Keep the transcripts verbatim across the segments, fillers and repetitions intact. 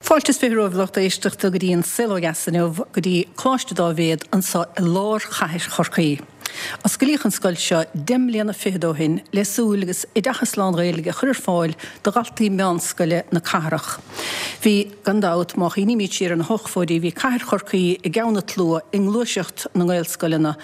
Fáilte is fiche romhaibh lucht éisteachta go dtí an Saol Ó Dheas inniu go dtí Coláiste Dáibhéid anseo i lár chathair Chorcaí. Osclaíodh an scoil seo deich mbliana fichead ó shin le súil agus oideachas lán-Ghaeilge a chur ar fáil do dhaltaí meánscoile na cathrach. Bhí, gan dabht, má chuimhnímid siar ar na hochtóidí, bhí cathair Chorcaí i gceann an tslua i ngluaiseacht na nGaelscoileanna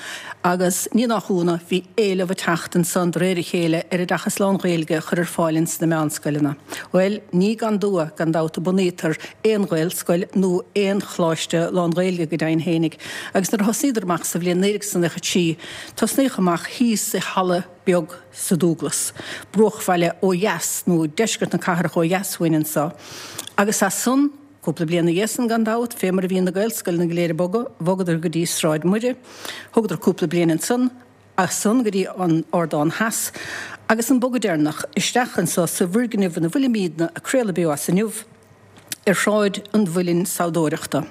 agus ní nach ionadh bhí éileamh ag teacht ansan de réir a chéile ar oideachas lán-Ghaeilge a chur ar fáil ins na meánscoileanna. Bhuel, ní gan dua, gan dabht, a bunaítear aon Ghaelscoil nó aon choláiste lán-Ghaeilge go deimhin fhéinig, agus nuair a thosnaíodar amach sa bhliain naoi déag is nócha trí, tosnaíodh amach thíos i halla beag sa Dúglas, bruachbhaile ó dheas, nó deisceart na cathrach ó dheas uainn anseo, agus as san, cúpla bliain ina dhiaidh san gan dabht, fé mar a bhí na Gaelscoileanna go léir ag bogadh, bhogadar go dtí Sráid Mhuire, thugadar cúpla bliain ansan, as san go dtí an Ardán Theas, agus an bogadh deireanach isteach anseo sa bhfoirgneamh ina bhfuilimidne ag craoladh beo as inniu, ar Shráid an Mhuilinn Sabhdóireachta.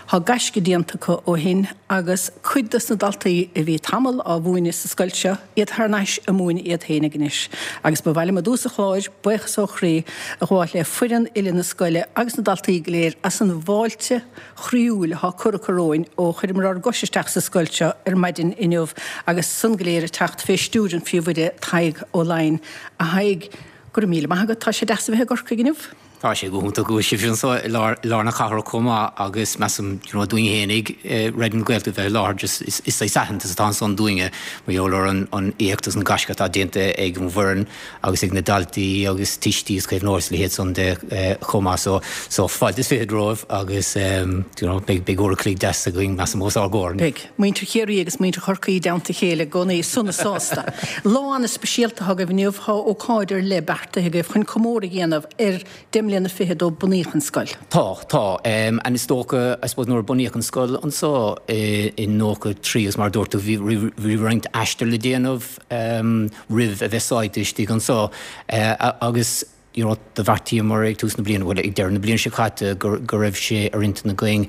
Tá gaisce déanta acu ó shin agus cuid dos na daltaí a bhí tamall á mhúineadh sa scoil seo, iad thar n-ais ag múineadh iad féinig anois. Agus ba mhaith liom i dtús an chláir buíochas ó chroí a ghabháil le foireann uile na scoile agus na daltaí go léir as an bhfáilte chroíúil atá curtha acu romhainn ó chuireamar ár gcois isteach sa scoil seo ar maidin inniu agus san go léir ag teacht fé stiúir an phríomhoide Tadhg Ó Laighin. A Thaidhg, go raibh míle maith agat, tá sé deas a bheith i gCorcaigh inniu. Tá sé go hiontach go bhfuil sibh anseo i lár, lár na cathrach chomh maith agus measaim you know, dúinn fhéinig eh, Raidió na Gaeltachta bheith i láthair just is, is saghas aitheantas atá ansan dúinne mar gheall ar an, an éacht agus an gaisce atá déanta ag an bhfoireann agus ag na daltaí agus tuistí is caomhnóirí is leithéid san de eh, chomh maith so, so fáilte is fiche romhaibh agus um, you know, beidh beidh uair a chloig deas againn measaim os ár gcomhair. Beidh muintir Chiarraí agus muintir Chorcaí i dteannta a chéile i gcónaí sona sásta. Lá an-speisialta atá agaibh inniu tá ócáid ar leith beartaithe agaibh chun comóradh a dhéanamh ar deich mbliana fichead ó bunaíodh an scoil. Tá tá um, and is dócha I suppose nuair a bunaíodh an scoil anseo i, i nócha trí agus mar dúirt tú bhí bhí roinnt aistear le déanamh um, roimh a bheith sáite istigh anseo uh, agus you know, do bheartaíomar ag tús na bliana bhuel ag deireadh na bliana seo caite go, go raibh sé ar intinn againn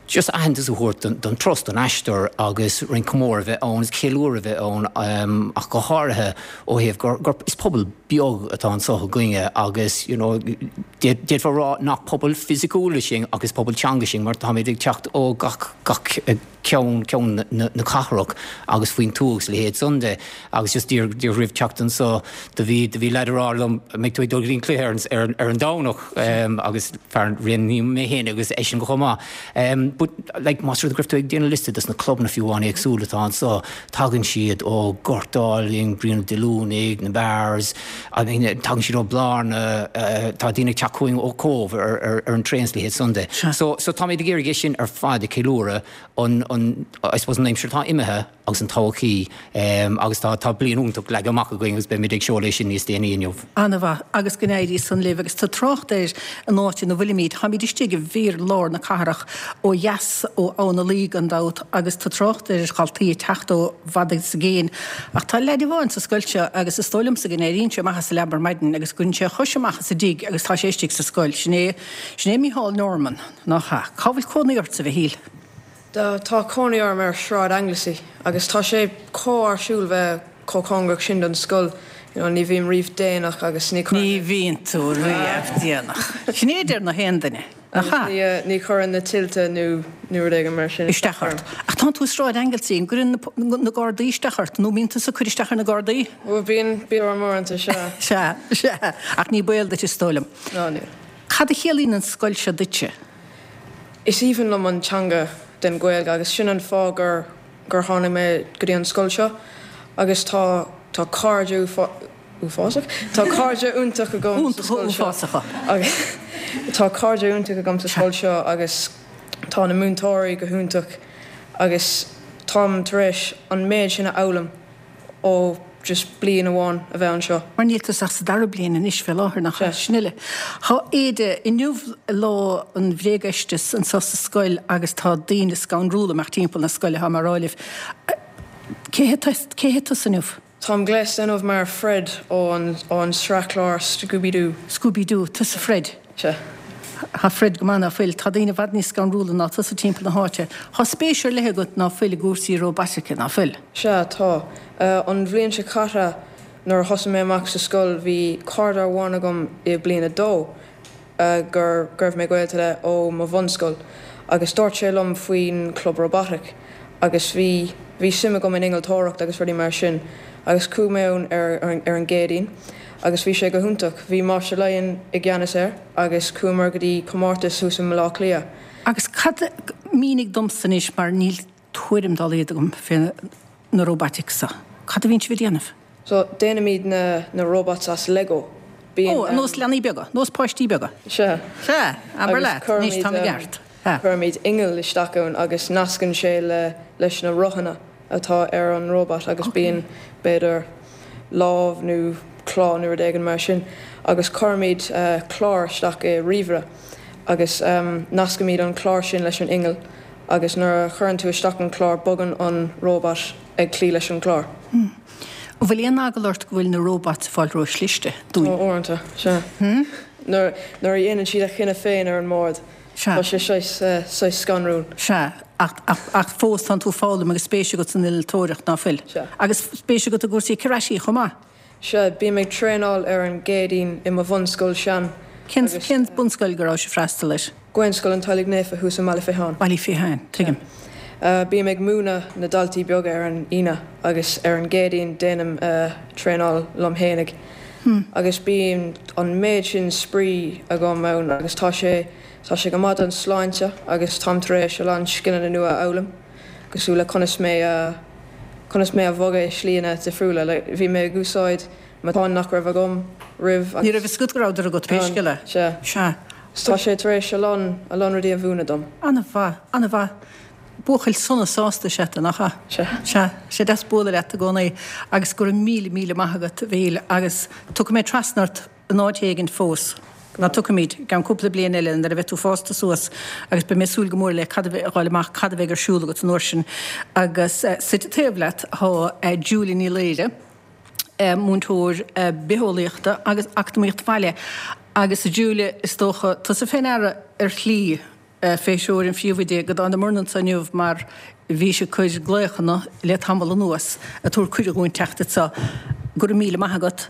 just aitheantas a thabhairt don, don turas don aistear agus roinnt comóradh a bheith ann is ceiliúradh a bheith ann um, ach go háirithe ó thaobh gur, gur is pobal beag atá anseo againne agus you know, d'fhéadfá rá nach pobal fisiciúil sinn agus pobal teanga sinn mar táimid ag teacht ó gach gach ceann ceann na, na cathrach agus faoin tuath is leithéid san de agus just díreach roimh teacht anseo do bhí do bhí leaid ag rá liom mbeidh tú ag dul go cluiche ar, ar, ar an Domhnach um, agus fear rin mé féin agus eisean go chomh maith. Um, but like más rud go raibh tú ag déanamh liosta des na clubanna fiú amháin éagsúla atá anseo tagann siad ó Gort Álainn, Bruíon Dé Luanaigh, na Bears, I mean, tagann siad ó Blarna, uh, tá daoine ag teacht chugainn ó Cóbh ar, ar, ar an traein is leithéid san de. So, so táimid ag iarraidh sin ar fad a cheiliúradh an, an, I suppose an aimsir atá imithe agus an todhchaí um, agus tá tá bliain iontach leagtha amach againn agus beimid ag seoladh sin níos déanaí inniu. An-mhaith agus go n-éirí san libh agus tá trácht ar an áit ina bhfuilimid, Táimid istigh i bhfíorlár na cathrach ó dheas ó Abhainn na Laoi gan dabht agus tá trácht ar dhaltaí ag teacht ó i bhfad is i gcéin. Ach tá leaid amháin sa scoil seo agus is dóigh liomsa go n-éiríonn sé amach as a leaba ar maidin agus go sé a chois amach as an dtigh agus tá sé istigh sa scoil. Sin é sin é Mícheál Norman nach ea. Cá bhfuil cónaí ortsa a Mhichíl? Tá cónaí orm ar Sráid Anglesey agus tá sé chomh áisiúil bheith chomh cóngarach sin don scoil. You know, ní bhím riamh déanach agus ní Ní bhíonn tú riamh déanach. Sin é deir na haon duine. Aha. Ní, ní chuireann na tuilte nó nó rud éigin mar sin Isteach ort. Ach tá tú Sráid Anglesey an gcuireann na Gardaí isteach ort, nó mbíonn tú ag cur isteach ar na Gardaí? Ó bíonn bíonn uaireanta sea. Sea, sea, ach ní baol duit is dóigh liom. Ná ní. Cad a chiallaíonn an scoil seo duitse? Is aoibhinn liom an teanga den Ghaeilge agus sin an fáth gur gur tháinig mé go dtí an scoil seo agus tá tá cairde uafásach Tá cairde iontach agam sa scoil seo Uafásacha. agus tá cairde iontach agam sa scoil seo agus tá na múinteoirí go hiontach agus táim tar éis an méid sin a fhoghlaim ó just bliain amháin a bheith anseo. Mar níl tú ach sa dara bliain anois fé láthair nach sin uile. Tá éide inniu lá an bhréagfheistis anseo sa scoil agus tá daoine scanrúla amach timpeall na scoile tá mar áilih. Cé cé tusa inniu? Táim gléasta inniu mar Fred ó an ó an sraithchlár Scooby-Doo. Scooby-Doo, tusa Fred. Sea. Tá Fred go maith ná fuil, tá daoine i bhfad níos scanrúla ná tusa timpeall na háite. Tá spéis ar leith agat ná fuil i gcúrsaí róbaitice ná fuil. Sea tá. Uh, an bhliain seo caite nuair a thosaigh mé amach sa scoil bhí cara amháin agam i bliain a dó gur go raibh mé gaolta le ó mo bhunscoil agus dúirt sé liom faoin club robotic agus bhí bhí suim agam in innealtóireacht agus rudaí mar sin agus chuaigh mé ann ar, ar, ar an gCéadaoin agus bhí sé go hiontach. Bhí Máistir Lyon i gceannas air agus chuamar go dtí comórtas thuas i mBaile Átha Cliath. Agus cad mínigh domsa anois mar níl tuairim dá laghad agam fé na robotics seo. Cad a bhíonn sibh ag déanamh? So déanaimid na, na robots as Lego. Bíonn, Ó, nós leanaí beaga, nós páistí beaga. Sea. Sea, abair leat, anois tá mé ceart. Cuirimid inneall isteach ann agus nascann sé le leis na rothanna atá ar an robot agus bíonn b'fhéidir lámh nó cló nó rud éigin mar sin agus cuirimid uh, clár isteach i ríomhaire agus um, nascaimid an clár sin leis an inneall agus nuair a chuireann tú isteach an clár bogann an robot ag cloí leis an clár. Hmm. Bhfuil aon eagla ort go bhfuil na robots ag fáil ró-chliste dúinn? Ó uaireanta, sea. Hmm? Nuair nuair a dhéanann siad a chinneadh féin ar an mbord. Tá sé saghas scanrúil. Sea, ach, ach, ach fós tánn tú ag foghlaim agus spéis agat san innealtóireacht ná fuil. Sea. Agus spéis agat i gcúrsaí curaisí chomh maith. Sea, bím ag traenáil ar an gCéadaoin i mo bhunscoil sean. Cén cén bunscoil go raibh sibh ag freastal air? Gaelscoil an Teaghlaigh Naofa thuas i mBaile Fatháin. Baile Fatháin, tuigim. Uh, bím ag múineadh na daltaí beaga ar an Aoine agus ar an gCéadaoin déanaim uh, traenáil liom fhéinig. Hmm. Agus bíonn an méid sin spraoi agam ann agus tá sé tá sé go maith don sláinte agus táim tar éis a lán scileanna nua a fhoghlaim cosúil le conas mé a conas mé a bhogadh i slíanna difriúla, like, bhí mé ag úsáid matáin nach raibh agam roimh Ní raibh a fhios agat go rabhadar agat pé scéal é. Sea. Sea. Tá sé tar éis a lán a lán rudaí a mhúineadh dom. An-mhaith, an-mhaith. Buachaill sona sásta is ea tú, nach ea? Sea. Sea, sé deas bualadh leat i gcónaí agus go raibh míle míle maith agat, a Mhíchíl, agus tiocfaidh mé trasna ort in áit éigin fós. Ná tiocfaimid, i gceann cúpla bliain eile nuair a bheidh tú fásta suas agus beidh mé ag súil go mór le cad a bheidh, a fháil amach cad a bheidh ar siúl agat an uair sin. Agus suite taobh leat tá Julia Ní Laoire, múinteoir bitheolaíochta agus eacnamaíocht bhaile. Agus a Julia, is dócha, tusa fé ndeara ar shlí fé threoir an phríomhoide go dtángamarna anso inniu mar bhí sí ag cur glaochanna le tamall anuas ag tabhairt cuireadh dhúinn teacht anso. Go raibh míle maith agat.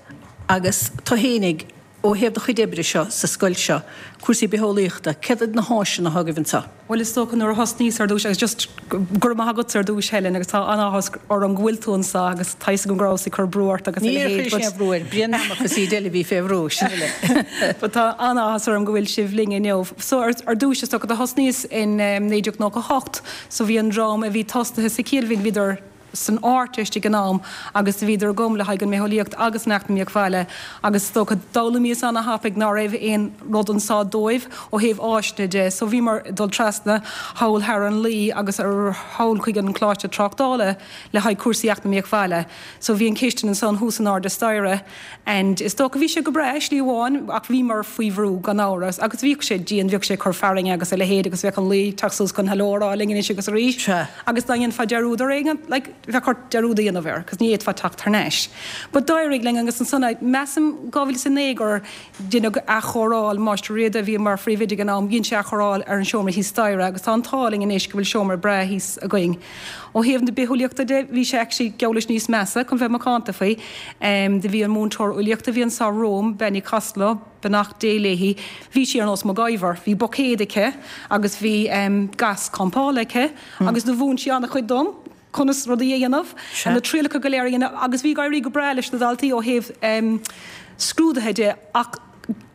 Agus tú fhéinig, ó thaobh do chuid oibre seo sa scoil seo, cúrsaí bitheolaíochta, céard iad na háiseanna atá agaibh anso? Bhuel is dócha nuair a thosnaíos ar dtús agus just go raibh maith agatsa ar dtús Helen agus tá an-áthas orm go bhfuil tú anso agus tá fhios agam go rabhas ag cur brú ort agus a Níor leithéid chuir sé but brú air, Brian Namach is iad eile a bhí fé bhrú, sin uile. But tá an-áthas orm go bhfuil sibh linn inniu. So ar, ar dtús is dócha do thosnaíos in um, naoi déag nócha hocht so bhí an dream a bhí tosaithe sa Chill bhíodar san Ardteist ag an am agus bhíodar agam le haghaidh an mbitheolaíocht agus an eacnamaíocht bhaile agus is dócha d'fhoghlaimíos an-thapaidh ná raibh aon rud anso dóibh ó thaobh áiseanna de so bhíomar ag dul trasna thall thar an Laoi agus ar thall chuig an Coláiste Tráchtála le haghaidh cúrsaí eacnamaíocht bhaile so bhí an chistin ansan thuas in airde staighre and is dócha bhí sé go breá slí amháin ach bhíomar faoi bhrú gan amhras agus bhíodh sé dian bhíodh sé ag cur fearthainne agus a leithéid agus bheadh an Laoi ag teacht suas chun hello a rá linn anois agus arís agus dá ndéanfá dearúd ar éigean like bheadh ort dearúd a dhéanamh air, cos ní fhéadfá teacht thar n-ais. But d'éirigh linn agus ansan, measaim dhá mhíle is a naoi gur deineadh athchóireáil, Máistir Riada a bhí mar phríomhoide ag an am, dhein sé athchóireáil ar an seomra thíos staighre agus tá an t-ádh linn anois go bhfuil seomra breá thíos againn. Ó thaobh na bitheolaíochta de, bhí sé actually geall leis níos measa, chun bheith macánta faoi. Do bhí an múinteoir eolaíochta a bhí anso romham, Bean Uí Costello, beannacht Dé léi, bhí sí ar nós MacGyver, bhí buicéad aici agus bhí gas campála aici agus do mhúin sí an-chuid dom conas rudaí a dhéanamh, na trialacha go léir a dhéanamh agus bhí ag éirí go breá leis na daltaí ó thaobh scrúduithe de ach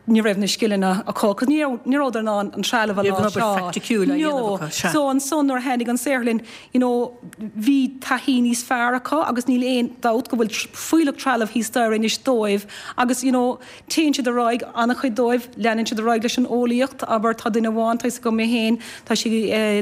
ní raibh na scileanna acu cos ní raibh ní rabhadar in ann an trealamh a Ní raibh an obair láimhseáil. phraiticiúil á dhéanamh No. acu, sea. So ansan nuair a tháinig an saotharlann you know bhí taithí níos fearr acu agus níl aon dabht go bhfuil fuílleach trealamh thíos staighre anois dóibh agus you know téann siad ar aghaidh, an-chuid dóibh, leanann siad ar aghaidh leis an eolaíocht, abair tá duine amháin, tá fhios agam mé féin, tá sí,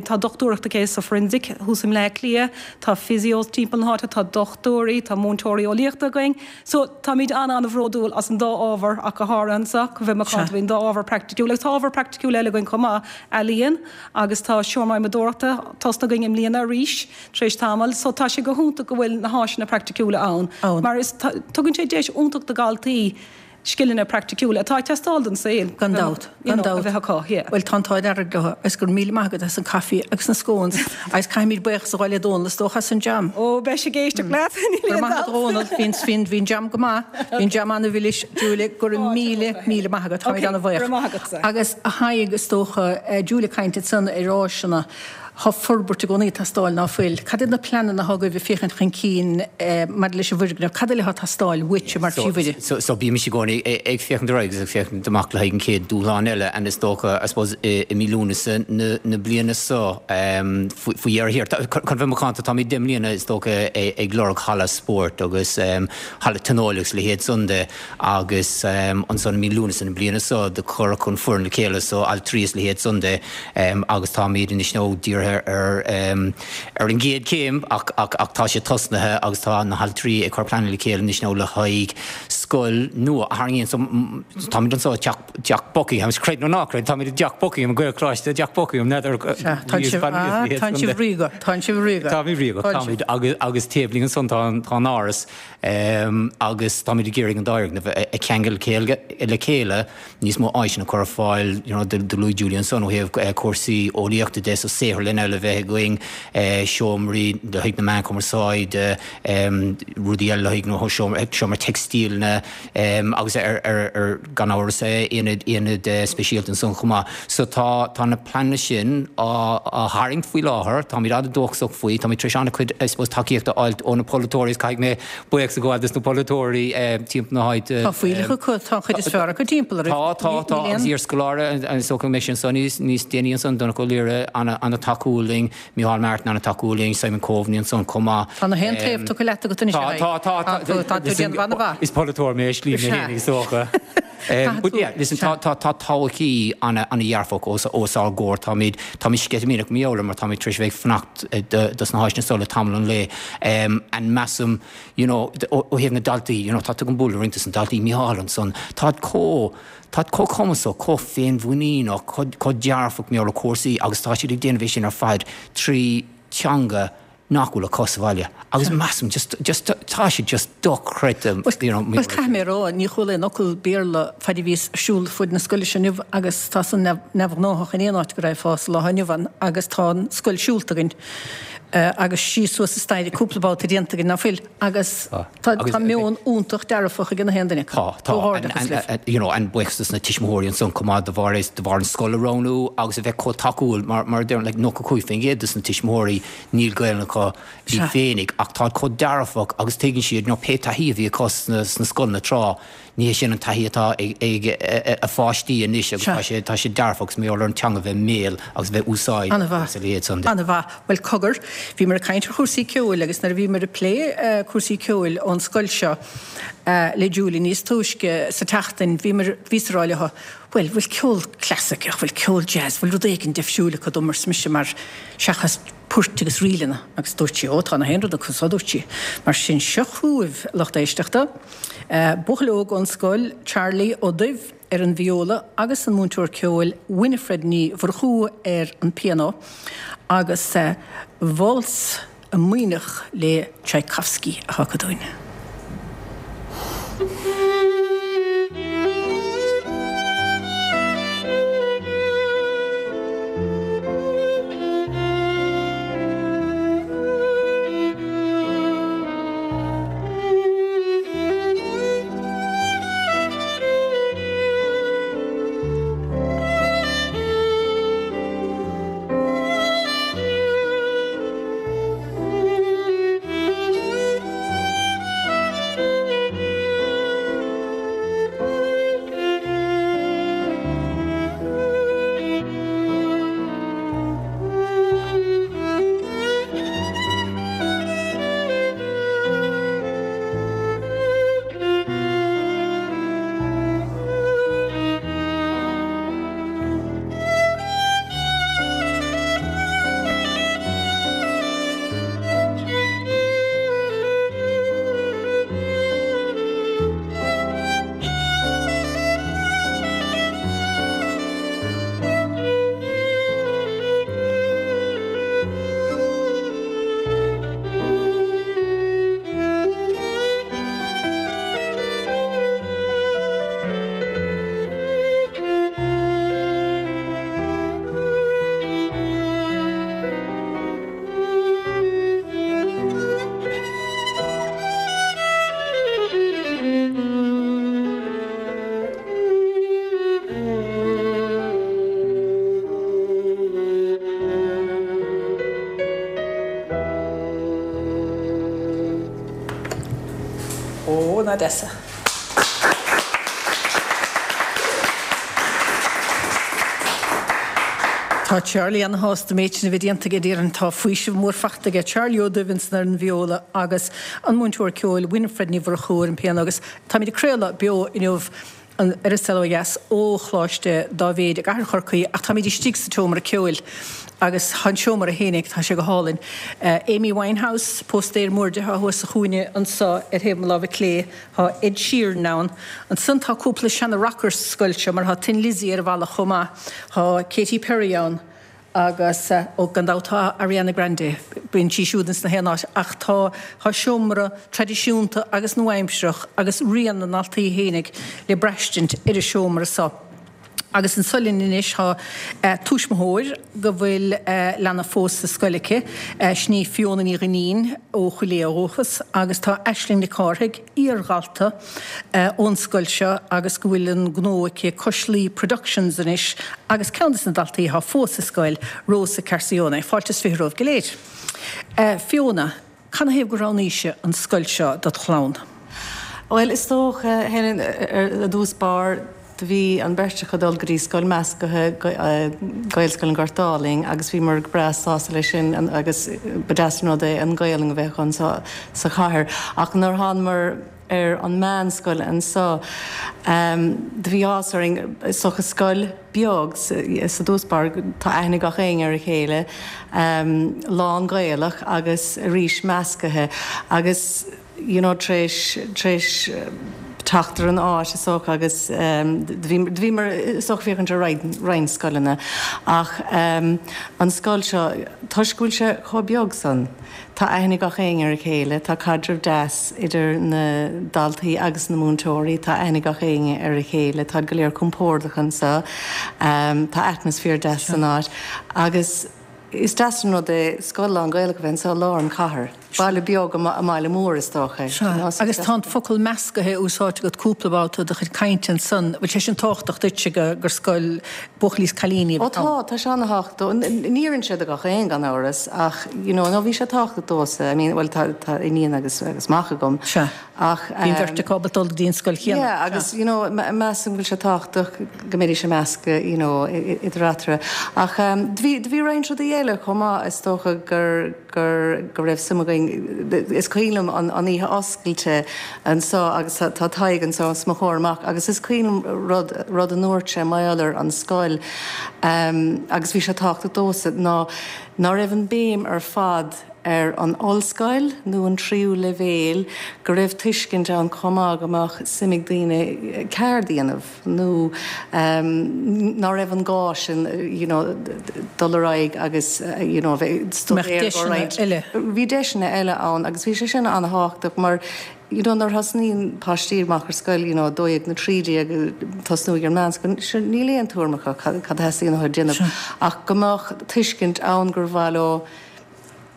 tá dochtúireacht aici sa forensic thuas i mBleá Cliath, tá physios timpeall na háite, tá dochtúirí, tá múinteoirí eolaíochta againn. So táimid an-an-bhródúil as an dá ábhar ach go háirithe anseo, chun bheith macánta faoin dá ábhar praiticiúil agus tá ábhar praiticiúil eile againn chomh maith, ealaíon agus tá seomra adhmadóireachta tosaithe againn i mbliana arís tar éis tamaill. So tá sé go hiontach go bhfuil na háiseanna praiticiúla ann mar is tugann sé deis iontach do dhaltaí scileanna praiticiúla atá ag teastáil don saol. Gan dabht, you gan know, a dabht. bheith acu, yeah. Bhuel, tá an t-ádh dearg leo, agus go raibh míle maith agat as an caife agus na scones, agus caithfimid buíochas a ghabháil le Dónal is dócha as an jam. Ó, beidh sé ag éisteacht leat, níl Go raibh aon maith agat dabht. Dónal, bhí bhí bhí an jam go maith, bhí an jam an-mhilis, Julie, go raibh míle, míle maith agat, táimid Okay, an-bhuíoch. go raibh maith agatsa. Agus a Thaidhg is dócha, eh, Julie ag caint ansan ar áiseanna, Tá forbairt i gcónaí ag teastáil ná fuil. Cad iad na pleananna atá agaibh ag féachaint chun cinn maidir leis an bhfoirgneamh? Cad eile atá ag teastáil uaitse mar phríomhoide? So, so bímis i gcónaí ag féachaint ar aghaidh agus ag féachaint amach le haghaidh an chéad dúshlán eile and is dócha, I suppose, i mí Lúnasa na, na bliana seo, faoi dheireadh thiar. Chun bheith macánta, táimid deich mbliana is dócha ag lorg halla spóirt agus halla tionóil agus a leithéid san de agus ansan i mí Lúnasa na bliana seo do cuireadh an foireann le chéile so altraí is a leithéid san de agus táimid anois nó dírithe ar ar an gcéad chéim ach ach ach tá sé tosnaithe agus tá na haltraí ag cur pleananna le chéile anois nó le haghaidh scoil nua a tharraingíonn so táimid anseo i dTeach dTeach Buckingham is creid nó ná creid táimid i dTeach Buckingham Gaelcholáiste dTeach Buckingham n'fheadar Sea, tá sibh ah, tá sibh ríoga, tá sibh ríoga. Táimid ríoga, Tá sibh. táimid agus agus taobh linn ansan tá tá an áras agus táimid ag iarraidh an dá fhoirgneamh a cheangal le chéile níos mó áiseanna a chur ar fáil you know do luaigh Julie ansan ó thaobh cúrsaí eolaíochta de so saotharlann eile a bheith againn, seomraí le haghaidh na meán cumarsáide, rudaí eile le haghaidh nó seomra teicstíleanna agus ar ar ar gan amhras aonad aonad speisialta ansan chomh maith. So tá tá na pleananna sin á á tharraingt faoi láthair, táimid an-dóchasach faoi, táimid tar éis an-chuid I suppose tacaíocht a fháilt ó na polaiteoirí is caithfidh mé buíochas a ghabháil dos na polaiteoirí timpeall na háite. Tá fuílleach acu, tá an chuid is fearr acu timpeall oraibh. Tá, tá, tá, agus iarscoláire is dócha go mbeidh sé ansan níos níos déanaí ansan, Donncha Ó Laoghaire an-tacúil linn, Micheál Martin an-tacúil linn, Simon Coveney ansan chomh maith. Tá na haon taobh tugtha leat agat anois, Tá, tá, tá, tá, tá tú ag déanamh an-mhaith. Is polaiteoir mé, slí mé féin is dócha. But yeah, listen, tá tá tá todhchaí an-dhearfach os os ár gcomhair, táimid táimid sceitimíneach mar gheall air mar táimid tar éis a bheith ag fanacht dos na háiseanna seo le tamall an lae. And measaim, you know, ó thaobh na daltaí, you know, tá tú ag bualadh roinnt dos na daltaí, Micheál ansan, táid chomh, táid chomh cumasach, chomh féinmhuiníneach, chomh chomh dearfach mar gheall ar chúrsaí agus tá siad ag déanamh é sin ar fad trí teanga nach bhfuil acu sa bhaile. Agus measaim just, just, tá sé just dochreidte, you know, Bhuel, caithfidh mé a rá, ní chuala aon fhocal Béarla fad a bhíos ag siúl fud na scoile seo inniu agus tá san neamhghnóthach in aon áit go raghfá sa lá inniu ann agus tá an scoil siúlta againn agus síos suas an staighre cúpla babhta déanta againn, ná fuil? Agus tá tá meon iontach dearfach ag na haon duine acu. Tá, tá. Comhghairdeachas libh. You know, and buíochas dos na tuismitheoirí ansan chomh maith de bharr de bharr an scoil a roghnú agus a bheith chomh tacúil mar mar a deirim like nócha cúig faoin gcéad dos na tuismitheoirí níl Gaelainn acu iad féinig ach táid chomh dearfach agus tuigeann siad you know pé taithí a bhí acu sna sna scoileanna tráth ní hé sin an taithí atá ag ag a pháistí anois agus tá sé tá sé dearfach agus mar gheall ar an teanga bheith i mbéal agus bheith úsáid An-mhaith. agus a leithéid san de. An-mhaith. Bhuel cogar, bhíomar ag caint ar chúrsaí ceoil agus nuair a bhíomar ag plé cúrsaí ceoil ón scoil seo le Julie níos túisce sa tseachtain, bhíomar, bhíos ag rá leo, bhuel, bhfuil ceol clasaiceach, bhfuil ceol jazz, bhfuil rud éigin deifriúil acu dom, arsa mise, mar seachas poirt agus ríleanna. Agus dúirt sí, ó, tá na haon rud acu so, dúirt sí. Mar sin, seo chugaibh, lucht éisteachta, buachaill óg ón scoil, Charlie Ó Duibh ar an vióla agus an múinteoir ceoil Winifred Ní Mhurchú ar an pianó agus Válsa Maoithneach le Tchaikovsky atá acu dúinn. Eoin Odessa. Tá Charlie ana-shásta méid sin a bheith déanta aige déarfainn tá faoiseamh mór fachta aige Charlie Ó Duibhinn ar an viola agus an múinteoir ceoil Winifred Ní Mhurchú ar an pianó agus táimid ag craoladh beo inniu an ar an Saol Ó Dheas ó Choláiste Dáibhéid i gcathair Chorcaí ach táimid istigh sa tseomra ceoil agus an seomra fhéinig tá sé go hálainn. Amy Winehouse, póstaer mór di atá thuas sa chúinne anseo ar thaobh mo láimhe clé, tá Ed Sheeran ann. Ansan tá cúpla seana rocker sa scoil seo mar tá Thin Lizzy ar an bhalla chomh maith, tá Katy Perry ann agus ó gan dabht tá Ariana Grande, bíonn sí siúd ins na haon áit ach tá tá seomra traidisiúnta agus nua-aimsearach agus rian na ndaltaí fhéinig le braistint ar an seomra seo. Agus anso linn anois tá tuismitheoir go bhfuil leanbh fós sa scoil aici, sin í Fiona Ní Dhuinnín ó Chúil Aodha ó dhúchas agus tá Aisling Nic Cárthaigh, iardhalta ón scoil seo agus go bhfuil an gnó aici Cois Laoi Productions anois agus ceann de na daltaí atá fós sa scoil, Rosa Carcione. Fáilte is fiche romhaibh go léir. Fiona, canathaobh gur roghnaís an scoil seo dod chlann? Bhuel, is dócha, Helen, ar dtús báire, do bhí an bheirt acu ag dul go dtí scoil measctha, Gaelscoil an Ghoirt Álainn, agus bhíomar go breá sásta leis sin agus ba deas an rud é an Ghaelainn a bheith acu anseo sa chathair. Ach nuair a thánamar ar an meánscoil anseo, do bhí áthas orainn, is dócha scoil beag sa dtús báire, tá aithne ag gach éinne ar a chéile, lán Gaelach agus arís meascaithe agus you know tar éis, tar éis teacht ar an áit is dócha agus do bhíomar is dócha féachaint ar roinnt scoileanna ach an scoil seo toisc go bhfuil sé chomh beag san tá aithne ag gach éinne ar a chéile, tá caidreamh deas idir na daltaí agus na múinteoirí, tá aithne ag gach éinne ar a chéile, táid go léir compordach anseo, tá atmaisféar deas san áit agus Is deas an rud é scoil lán-Ghaelach a bheith anseo i lár an chathair. Baile beag i mbaile mór is dócha. Sea, agus tá an focal meascaithe úsáidte agat cúpla babhta i do chuid cainte ansan. Bhfuil sé sin tábhachtach duitse gur scoil buachaillí is cailíní a Ó bheith ann? tá, tá sé ana-thábhachtach. Ní oireann sé do gach aon gan amhras ach you know, no bhí sé tábhachtach domhsa. I mean, bhuel tá tá iníon agus agus mac agam. Sea. Ach Bhí an bheirt acu ábalta dul go dtí an scoil chéanna. Yeah, agus you know, measaim go bhfuil sé tábhachtach go mbeidís ag meascadh you know, idir eatarthu. Ach do bhí, do bhí roinnt rudaí eile chomh maith, is dócha gur, gur, go raibh suim againn, is cuimhin liom an, an oíche oscailte anseo agus tá, tá Tadhg anseo os mo chomhair amach agus is cuimhin liom rud, rud a ndúirt sé mar gheall ar an scoil um, agus bhí sé tábhachtach domhsa ná, ná raibh an béim ar fad ar an ollscoil nó an tríú leibhéal, go raibh tuiscint ann chomh maith go mbeadh suim ag daoine ceard a dhéanamh nó ná raibh an gá sin you know dul ar aghaidh agus you know bheith Go mbeadh stuidéar deiseanna roinnt. eile. Bhí deiseanna eile ann agus bhí sé sin an-thábhachtach mar you know nuair a thosnaíonn páistí amach ar scoil you know a dó dhéag nó trí déag tosnú ag an meánscoil sure níl aon tuairim acu cad cad a theastaíonn uathu déanamh ach go mbeadh tuiscint ann gur mhaith leo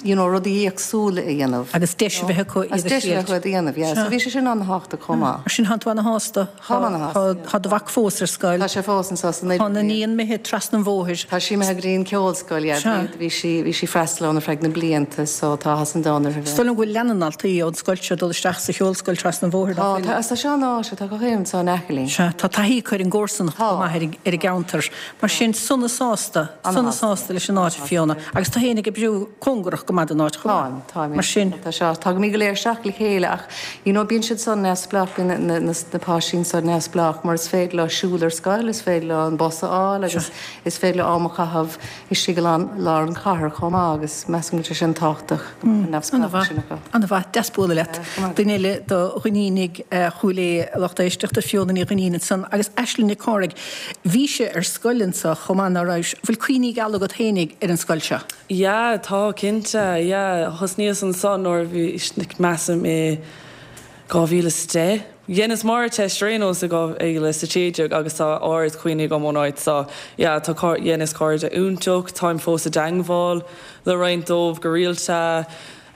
you know, rudaí éagsúla a dhéanamh. Agus deis a bheith acu Agus iad a deis a bheith thriailt. acu iad a dhéanamh, yeah. So bhí sé sin an-thábhachtach chomh maith. Mar sin tánn tú ana-shásta. Táim ana-shásta, yeah. Tá do mhac fós ar scoil. Tá sé fós anseo san Tá an iníon imithe trasna an bhóthair. Tá sí imithe go dtí an ceolscoil, yeah. Sea. Bhí sí, bhí sí freastal ann ar feadh na blianta so tá áthas an domhain uirthi. Is dóigh liom go bhfuil leath na ndaltaí ón scoil seo ag dul isteach sa cheolscoil trasna an bhóthair, Tá, nach bhfuil? tá, tá sé an-áisiúil, tá gach aon rud anseo in aice linn. Sea, tá taithí acu ar an gcomharsanacht chomh maith ar an, ar an gceantar. Mar sin, sona sásta, sona sásta leis an áit, a Fiona. Agus tú féin ag oibriú cóngarach go maith don áit chomh maith. Táim, táim. Mar sin. Tá seo, tagaimid go léir isteach le chéile ach, you know, bíonn siad san neamhspleách, bíonn na, na, na, na páistí san neamhspleách mar is féidir leo siúl ar scoil, is féidir leo an bus a fháil agus is féidir leo am a chaitheamh istigh i lár an chathair chomh maith agus measaim go bhfuil sé sin tábhachtach go mbeadh an neamhspleáchas sin acu. An-mhaith, deas bualadh leat. Duine eile do Dhuinnínigh Chúil Aodha, a lucht éisteachta, Fiona Ní Dhuinnín ansan agus Aisling Nic Cárthaigh. Bhís ar scoil anso chomh maith, ná raibh? Bhfuil cuimhní geala agat fhéinig ar an scoil seo? Yeah, tá cinnte, yeah. Thosnaíos anso nuair a bhí, measaim i dhá mhíle is a deich. Dheineas m'Ardteist ar aon nós i dhá mhíle is a sé déag agus tá ard-chuimhní agam ón áit so yeah, tá dheineas cairde iontach, táim fós i dteangmháil le roinnt dóibh go rialta.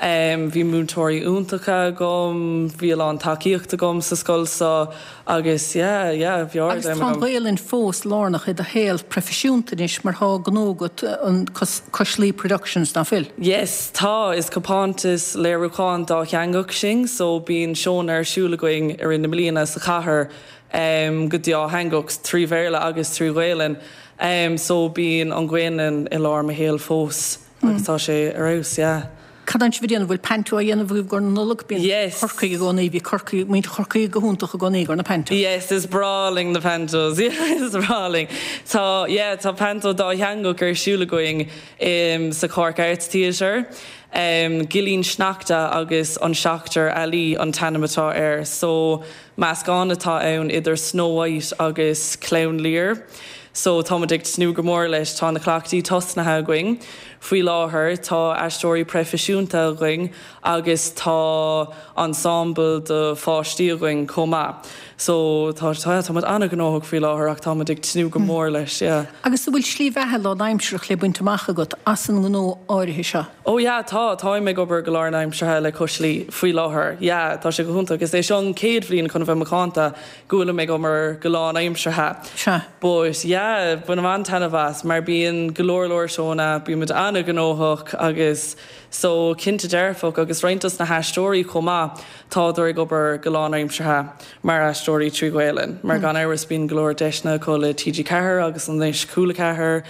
Bhí múinteoirí iontacha agam, bhí a lán tacaíocht agam sa scoil so agus yeah, yeah, bhí Agus tá an Ghaelainn fós lárnach i do shaol proifisiúnta anois mar tá gnó agat an Cois Laoi Productions, nach bhfuil? Yes, tá, is compántas léiriúcháin dátheangach sinn so bíonn seónna ar siúl againn i rith na bliana sa chathair um, go dátheangach trí Bhéarla agus trí Ghaelainn. Um, so bíonn an Ghaelainn i lár mo shaoil fós agus tá sé ar fheabhas, yeah. Cad atá sibh ag déanamh bhfuil panto á dhéanamh agaibh do na Nollag bíonn Yes. Corcaigh i gcónaí bhí Corcaigh muintir Chorcaí go hiontach i gcónaí do na panto. Yes, is breá linn na pantos. Yeah, is breá linn. Tá yeah, tá panto dátheangach ar siúl againn um, sa Cork Arts Theatre. Um, Gillín Sneachta agus an Seachtar Ealaí an t-ainm atá air, so meascán atá ann idir Snow White agus Clown Lear. So táimid ag tnúth go mór leis tá na cleachtaí tosnaithe againn. Faoi láthair tá aisteoirí proifisiúnta againn agus tá ensemble de pháistí againn chomh maith. So tá tá táimid an-ghnóthach faoi láthair ach táimid ag tnúth go mór leis, yeah. Agus an bhfuil slí bheatha lánaimseartha le baint amach agat as an ngnó áirithe seo. Ó yeah, tá táim ag obair go lánaimseartha le Cois Laoi faoi láthair. Yeah, tá sé go hiontach agus é seo an chéad bhliain chun bheith macánta go bhfuilim ag obair go lánaimseartha. Sea. But yeah, bainim an-taitneamh as mar bíonn go leor leor seónna, bímid an-ghnóthach agus so cinnte dearfach agus roinnt dos na haisteoirí chomh maith tádar ag obair go lánaimseartha mar aisteoirí trí Ghaelainn. Mar gan amhras bíonn go leor deiseanna acu le TG Ceathair agus anois Cúla Ceathair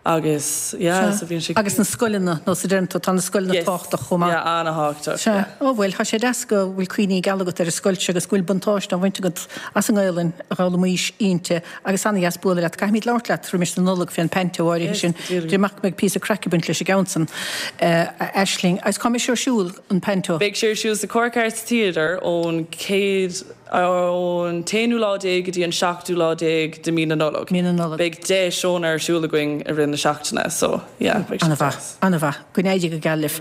agus yeah, so bíonn sé Agus na scoileanna nó sa deireadh tá na scoileanna tábhachtach chomh maith. Yeah, an-tábhachtach. Sea, ó bhuel, tá sé deas go bhfuil cuimhní geala agat ar an scoil seo agus go bhfuil buntáiste á bhaint agat as an nGaelainn a dh'fhoghlaimís inti agus an-dheas bualadh leat. Caithfimid labhairt leat roimis na Nollag fén panto áirithe sin. Dé mac mbeidh píosa craic ag baint leis an gceann san Aisling. Agus cá mbeidh sé ar siúl an panto. Beidh sé ar siúl sa Cork Arts Theatre ón céad ón t-aonú lá déag go dtí an seachtú lá déag de mí na Nollag. Mí na Nollag. Beidh deich seónna ar siúl againn i rith na seachtaine, so yeah, beidh sé An-mhaith, an-mhaith, go n-éirí go geal libh.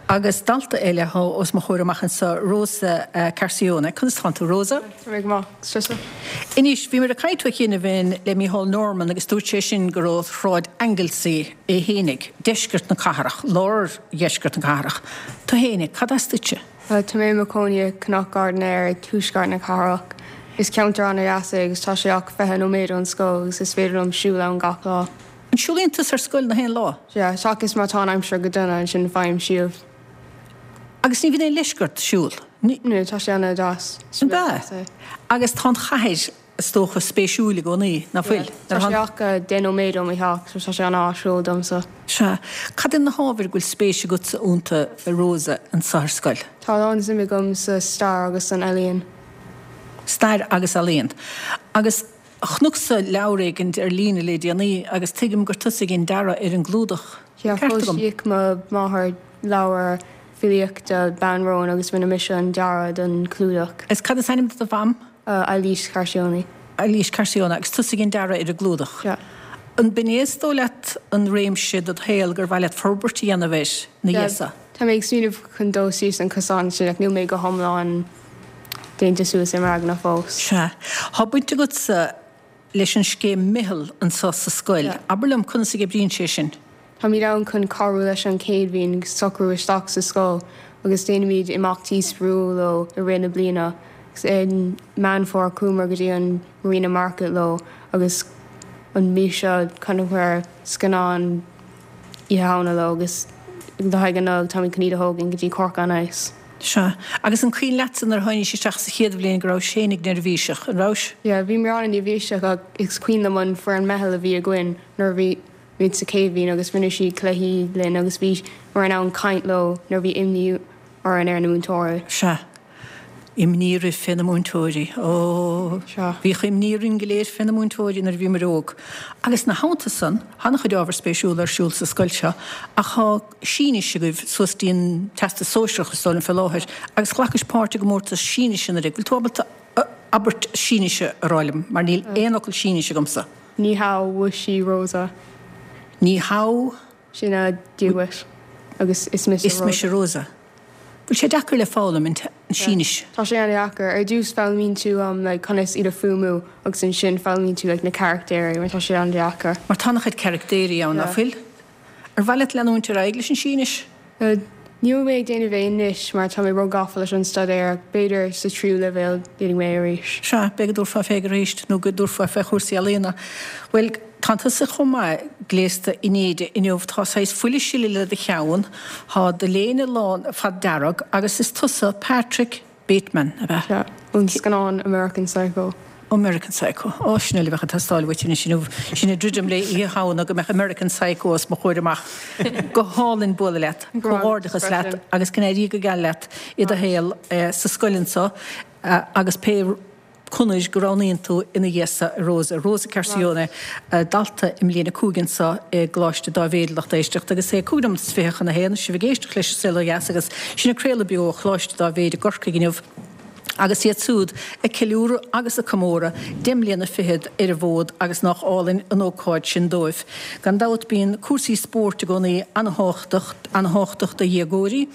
Agus dalta eile atá os mo chomhair amach anseo Rosa uh, Carcione. Conas tánn tú Rosa? Tá mé go maith, tusa. Anois bhí mar a caint chéanna bhín le Micheál Norman agus dúirt sé sin go raibh Sráid Anglesey é fhéinig, deisceart na cathrach, lár dheisceart na cathrach. Tú fhéinig, cad as duitse? Tá mé i mo chónaí Cnoc Gairdnéir ag tuaisceart na cathrach. Is ceantar an-deas é agus tá sé ach fiche nóiméad ón scoil agus is féidir liom siúl ann gach lá. An siúlaíonn tú ar scoil na haon lá? Yeah, seachas má tá an aimsir go dona ansin faighim síob. Agus ní bhíonn aon leisce ort siúl. No, tá sé an-deas. An ea? Agus tá an chathair is dócha spéisiúil i gcónaí nach bhfuil. Tá sé ach deich nóiméad ó mo theach, so tá sé an-áisiúil domsa. Sea, cad iad na hábhair go bhfuil spéis agatsa iontu a Rosa anseo ar scoil? Tá an-suim agam sa stair agus san ealaíon. Stair agus ealaíon. Agus chonacsa leabhar éigin ar líne le déanaí agus tuigim gur tusa a dhein dearadh ar an gclúdach. Yeah, Ceart agam. foilsíodh mo mháthair leabhar filíochta Bean Róin agus rinne mise an dearadh don chlúdach. Is cad is ainm do do mham? Uh, Eilís Carcione. Eilís Carcione agus tusa a dhein dearadh ar an gclúdach. Yeah. An b'in é is dóigh leat an réimse do shaol gur mhaith leat forbairt a dhéanamh air na Yeah, dhéasa. Tá mé ag smaoineamh chun dul síos an cosán sin ach níl mé go hiomlán déanta suas i m'aigne fós. Sea, Tá baint agatsa leis an scéim Meitheal anseo sa scoil. Yeah. Abair liom conas a oibríonn sé sin. Táimid ann chun cabhrú leis an chéad bhliain socrú isteach sa scoil agus déanaimid imeachtaí spraíúla leo i rith na bliana. Agus in Meán Fómhair chuamar go dtí an Marina Market leo agus an mhí seo chonaiceamar scannán Oíche Shamhna leo agus le haghaidh an Nollaig táimid chun iad a thógaint go dtí Cork on Ice. Sea, agus an cuimhin leatsa nuair a tháinig isteach sa chéad bhliain go raibh sé ag neirbhíseach an raibh? Yeah, bhí mé an-neirbhíseach ach is cuimhin liom an foireann meitheal a bhí againn nuair a bhí muid sa chéad bhliain agus rinne siad cluichí linn agus bhí mar in ann caint leo nuair bhí imní orainn ar na múinteoirí. Sea. Imní roimh fé na múinteoirí. Ó Sea. Bhíodh imní orainn go léir fé na múinteoirí nuair a bhíomar óg. Agus ina theannta san, an-chuid ábhar spéisiúil ar siúl sa scoil seo, ach tá Sínis agaibh suas dtí an Teastas Sóisearach is dóigh liom fé láthair, agus ghlacais páirt i gcomórtas Sínise anuraidh. Bhfuil tú ábalta abairt Sínise a rá liom, mar níl aon fhocal Sínise agamsa. Ní hao 我是 Rosa. Ní hao Sin a Dia duit agus is mise is mise Rosa. Bhfuil sé deacair le foghlaim an Sínis. Tá sé an-deacair ar dtús foghlaimíonn tú um, like, conas iad a fuaimniú agus ansin foghlaimíonn tú like, na carachtéirí mar tá sé an-deacair. Mar tá an-chuid carachtéirí ann Yeah. nach bhfuil? Ar mhaith leat leanúint ar aghaidh leis an Sínis? Uh, Níl mé ag déanamh é anois mar tá mé róghafa leis an staidéar b'fhéidir sa tríú leibhéal déanfaidh mé arís. Sea, b'fhéidir go dtabharfá fé arís nó go dtabharfá fé chúrsaí ealaíona. Bhuel, tá tusa chomh maith gléasta in éide inniu tá saghas fuil ag sileadh le do cheann, tá do léine lán fad dearg agus is tusa Patrick Bateman, ab ea? Sea, ón scannán American Psycho. American Psycho. Ó sin uile a bheadh ag teastáil uait anois inniu. Sin ag druidim le Oíche Shamhna go mbeadh American Psycho os mo chomhair amach. Go hálainn bualadh leat. Comhghairdeachas leat agus go n-éirí go geal leat i do shaol sa scoil anseo agus pé conair go roghnaíonn tú ina dhiaidh so, a Rosa. Rosa Carcione, dalta i mbliain a cúig anseo i gColáiste Dáibhéid, lucht éisteachta, agus é cúig nóiméad is fiche chun a haon, sibh ag éisteacht leis an Saol Ó Dheas agus sinn ag craoladh beo ó Choláiste Dáibhéid i gCorcaigh inniu. Agus iad siúd ag ceiliúradh agus ag comóradh deich mbliana fichead ar an bhfód agus nách álainn an ócáid sin dóibh. Gan dabht bíonn cúrsaí spóirt i gcónaí an-thábhachtach, an-thábhachtach do dhéagóirí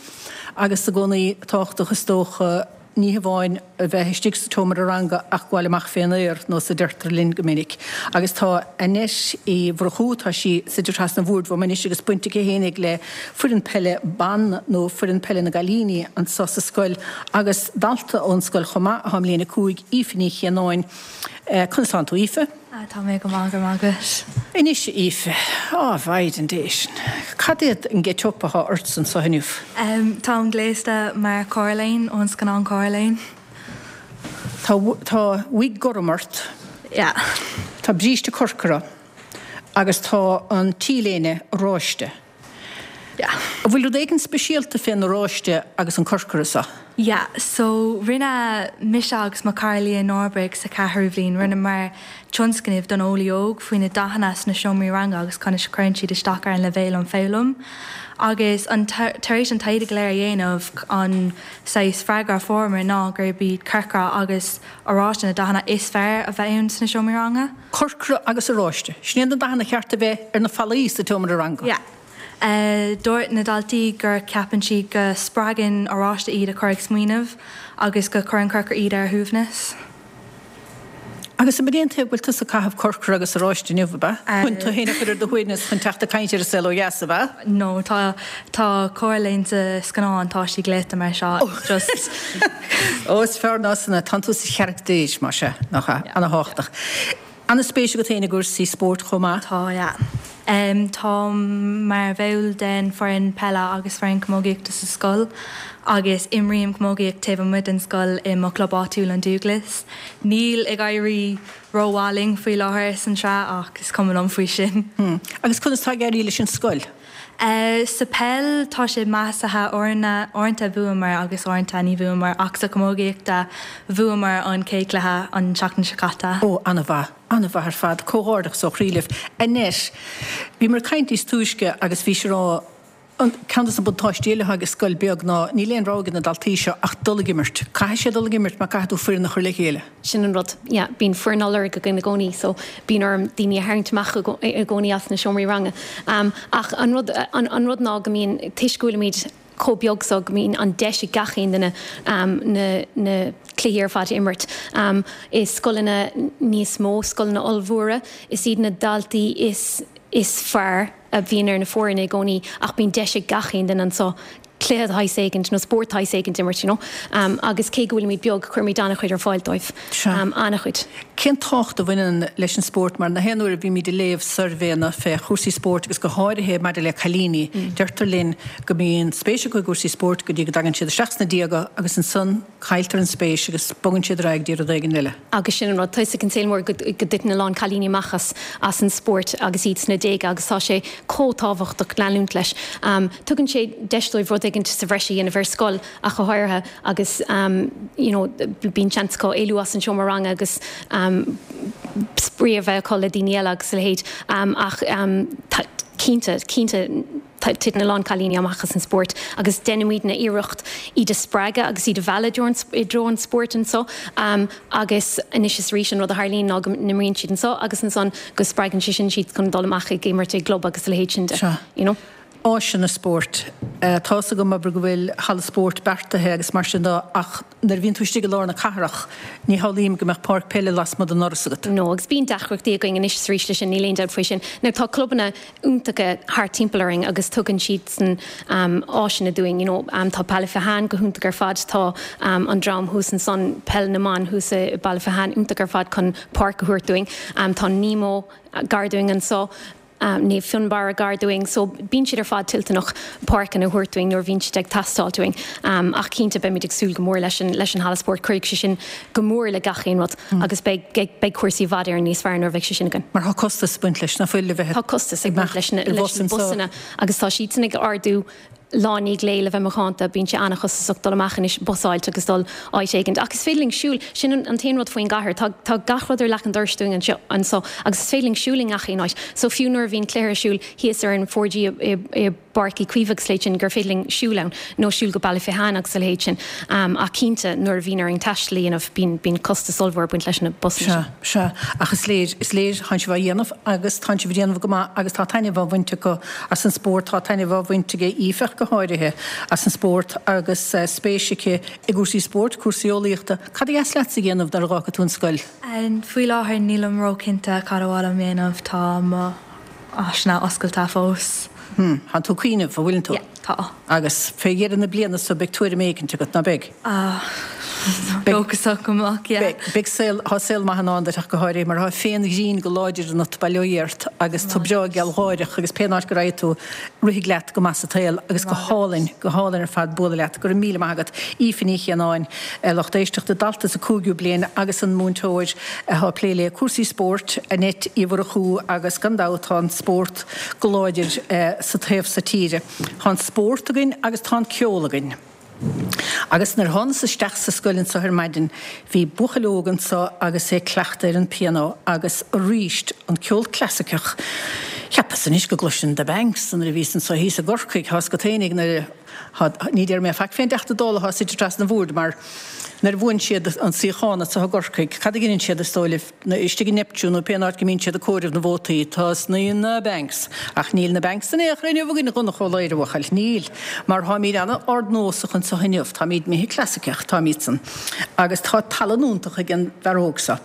agus i gcónaí tábhachtach is dócha, ní hamháin a bheith istigh sa tseomra ranga ach gabháil amach fén aer, nós a deirtear linn go minic. Agus tá Annette Uí Mhurchú, tá sí suite trasna an bhoird uaim anois agus baint aici fhéinig le foireann peile ban nó foireann peile na gcailíní anso sa scoil agus dalta ón scoil chomh maith atá i mbliain a cúig, Aoife Ní Chianáin. Conas tánn tú, Aoife? Tá mé go maith, go raibh maith agat. Anois, a Aoife, á, Mhaighdean Dé sin, cad é an get-up atá ortsa anso inniu? Táim gléasta mar Coraline ón scannán Coraline. Tá, tá wig gorm ort. Yeah. Tá bríste corcra agus tá an T-léine oráiste. Yeah. An bhfuil rud éigin speisialta fén oráiste agus an corcra so? Yeah, so rinne mise agus mo chara Leah Norberg sa ceathrú bhliain, rinneamar tionscnamh don Eolaí Óg faoi na dathanna sna seomraí ranga agus conas a chuireann siad isteach ar an leibhéal um foghlaim. Agus an tar éis an taighde go léir a dhéanamh, an saghas freagra a fuaireamar ná gurb iad corcra agus oráiste na dathanna is fearr a bheith ann sna seomraí ranga. Corcra agus oráiste, sin iad na dathanna cheart a bheith ar na fallaí sa tseomra ranga. Yeah. Dúirt na daltaí gur ceapann siad go spreagann oráiste iad a chur ag smaoineamh agus go cuireann corcra iad ar a shuaimhneas. Agus an é an tuige go bhfuil tusa ag caitheamh corcra agus oráiste inniu, ab ea? Chun tú féin a chur ar do shuaimhneas chun teacht ag caint ar an Saol Ó Dheas, ab ea? No, tá tá Coraline sa scannán, tá sí gléasta mar seo, it's just. Ó, is fearr ná san é, tánn tú sa charachtar, más ea, nach ea? Ana-thábhachtach. Ana-spéis agat féin i gcúrsaí spóirt chomh maith? Tá, yeah. Táim mar bhall den foireann peile agus foireann camógaíochta sa scoil agus imrím camógaíocht taobh amuigh den scoil i mo chlub áitiúil an Dúglas. Níl ag éirí rómhaith linn faoi láthair san tsraith ach is cuma liom faoi sin. Agus conas tá ag éirí leis an scoil? Sa peil tá sé measartha, uaireanta bhuamar agus uaireanta ní bhuamar ach sa chamógaíochta bhuamar an chéad cluiche an tseachtain seo caite. Ó, an-mhaith, an-mhaith ar fad, comhghairdeachas ó chroí libh. Annette, bhíomar ag caint níos túisce agus bhís ag rá an ceann de na buntáistí eile atá ag scoil beag ná níl aon rogha ag na daltaí seo ach dul ag imirt. Caithfidh siad dul ag imirt mar caithfidh tú foireann a chur le chéile. Sin an rud, yeah, bíonn foireann á lorg againn i gcónaí so bíonn orm daoine a tharraingt amach i gcónaí as na seomraí ranga. Ach an rud, an rud ná go mbíonn, toisc go bhfuilimid chomh beag so go mbíonn an deis ag gach aon duine na, na cluichí ar fad a imirt. I scoileanna níos mó, scoileanna ollmhóra, is iad na daltaí is, is fearr a bhíonn ar na foirne i gcónaí ach bíonn deis ag gach aon duine anseo cluiche de shaghas éigint nó spórt de shaghas éigint a imirt, you know. Agus cé go bhfuilimid beag, cuirimid an-chuid ar fáil dóibh. An-chuid. Cén tábhacht a bhaineann leis an spórt? Mar na haon uair a bhímid ag léamh suirbhéanna fé chúrsaí spóirt agus go háirithe maidir le cailíní, deirtear linn go mbíonn spéis acu i gcúrsaí spóirt go dtí go dtagann siad isteach sna déaga agus ansan cailltear an spéis agus bogann siad ar aghaidh go dtí rud éigin eile. Agus sin an rud, tá 'fhios ag an saol mór go dtiteann a lán cailíní amach as as an spórt agus iad sna déaga agus tá sé chomh tábhachtach leanúint leis. Tugann sé deis dóibh rud éigin sa bhreis a dhéanamh ar scoil ach go háirithe agus you know bíonn seans acu éalú as an seomra ranga agus spraoi a bheith acu le daoine eile agus a leithéid ach cinnte, cinnte titeann a lán cailíní amach as an spórt agus déanaimidne iarracht iad a spreagadh agus iad a mhealladh i dtreo an spóirt anseo agus anois is arís an rud a tharlaíonn ná go n-imríonn siad anseo agus ansan go spreagann sé sin siad chun dul amach ag imirt i gclub agus a leithéid sin de, you know. Áiseanna spóirt. Tá's agam abair go bhfuil halla spóirt beartaithe agus mar sin de ach nuair a bhíonn tú istigh i lár na cathrach ní shamhlaím go mbeadh páirc peile lasmuigh den ndoras agat. No, agus bíonn deacrachtaí againn anois is arís leis sin, níl aon dabht faoi sin. Now tá clubanna iontacha thart timpeall orainn agus tugann siadsan áiseanna dúinn, you know, tá Baile Fathain go hiontach ar fad, tá an dream thuas ansan, Peil na mBan thuas i Baile Fathain iontach ar fad chun páirc a thabhairt dúinn, tá Nemo gar dúinn anso. Naomh Fionnbarra gar dúinn so bíonn siad ar fad toilteanach páirceanna a thabhairt dúinn nuair a bhíonn siad ag teastáilt uainn. Ach cinnte beimid ag súil go mór leis an leis an halla spóirt, cuirfidh sé sin go mór le gach aon rud agus beidh beidh cúrsaí i bhfad Éireann níos fearr nuair a bheidh sé sin againn. Mar tá costas ag baint leis, nach bhfuil, le bheith Tá costas ag baint leis na leis na busanna agus tá siadsan ag ardú lá i ndiaidh lae le bheith macánta, bíonn sé an-chostasach dul amach anois bus a fháilt agus dul áit éigint. Ach is féidir linn siúl, sin an t-aon rud faoin gcathair, tá tá gach rud ar leac an dorais dúinn anseo anso agus is féidir linn siúl i ngach aon áit. So fiú nuair a bhíonn cluiche ar siúl thíos ar an four G i i bPáirc Uí Chaoimh agus a leithéid sin gur féidir linn siúl ann nó siúl go Baile Fathain agus a leithéid sin. Ach cinnte nuair a bhíonn orainn taisteal a dhéanamh bíonn bíonn costas ollmhór ag baint leis na busanna sin. Sea, sea. Ach is léir, is léir, tánn sibh á dhéanamh agus tánn sibh á dhéanamh go maith agus tá taitneamh á bhaint acu as an spórt, tá taitneamh á bhaint aige Aoife ach go háirithe as an spórt agus spéis aici i gcúrsaí spóirt, cúrsaí eolaíochta. Cad a dheas leatsa a dhéanamh nuair a dh'fhágfaidh tú an scoil? Faoi láthair nílim ró-chinnte cad a mhaith liom dhéanamh, tá mo áiseanna oscailte fós. Hm, tánn tú ag cuimhneamh, an bhfuileann tú? Yeah, tá. Agus fé dheireadh na bliana so beidh tuairim éicint agat, ná beidh? Ah, dóchasach go mbeadh, yeah. Beidh, beidh saol, tá saol maith i ndán duit ach go háirithe mar tá féin-ghrinn go láidir ionat, bail ó Dhia ort, agus tú breá gealgháireach agus pén áit go raghaidh tú, rithfidh leat go maith sa tsaol agus go hálainn, go hálainn ar fad bualadh leat. Go raibh míle maith agat. Aoife Ní Chianáin, lucht éisteachta, dalta sa cúigiú bliain agus an múinteoir atá ag plé le cúrsaí spóirt, Annette Uí Mhurchú agus gan dabht tá an spórt go láidir sa taobh so tíre. Tá an spórt againn agus tá an ceol againn. Agus nuair a thánas isteach sa scoil anso ar maidin bhí buachaill óg anso agus é ag cleachtadh ar an pianó agus aríst an ceol clasaiceach. Cheapas anois go gcloisfinn The Banks nuair a bhíos anso thíos i gCorcaigh, tá's agat fhéinig nuair a, ní déarfaidh mé faic fén dTeachta Dála atá suite trasna an bhoird mar nuair a bhuann siad an suíochán anso i gCorcaigh, cad a dheineann siad is dóigh libh? Istigh i Neptune nó pén áit go mbíonn siad ag comhaireamh na vótaí, tosnaíonn na Banks. Ach níl na Banks in aon chor inniu againn a Dhonncha Ó Laoghaire, a bhuachaill. Níl. Mar táimíd an-ardnósach anso inniu. Táimíd imithe clasaiceach, táimídsan. Agus tá tallann iontach ag an bhfear óg so.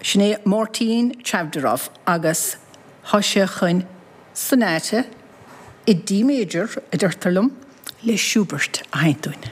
Sin é Máirtín Chavdarov agus tá sé chun Sonata i D Major, a deirtear liom, le Schubert a sheinnt dúinn.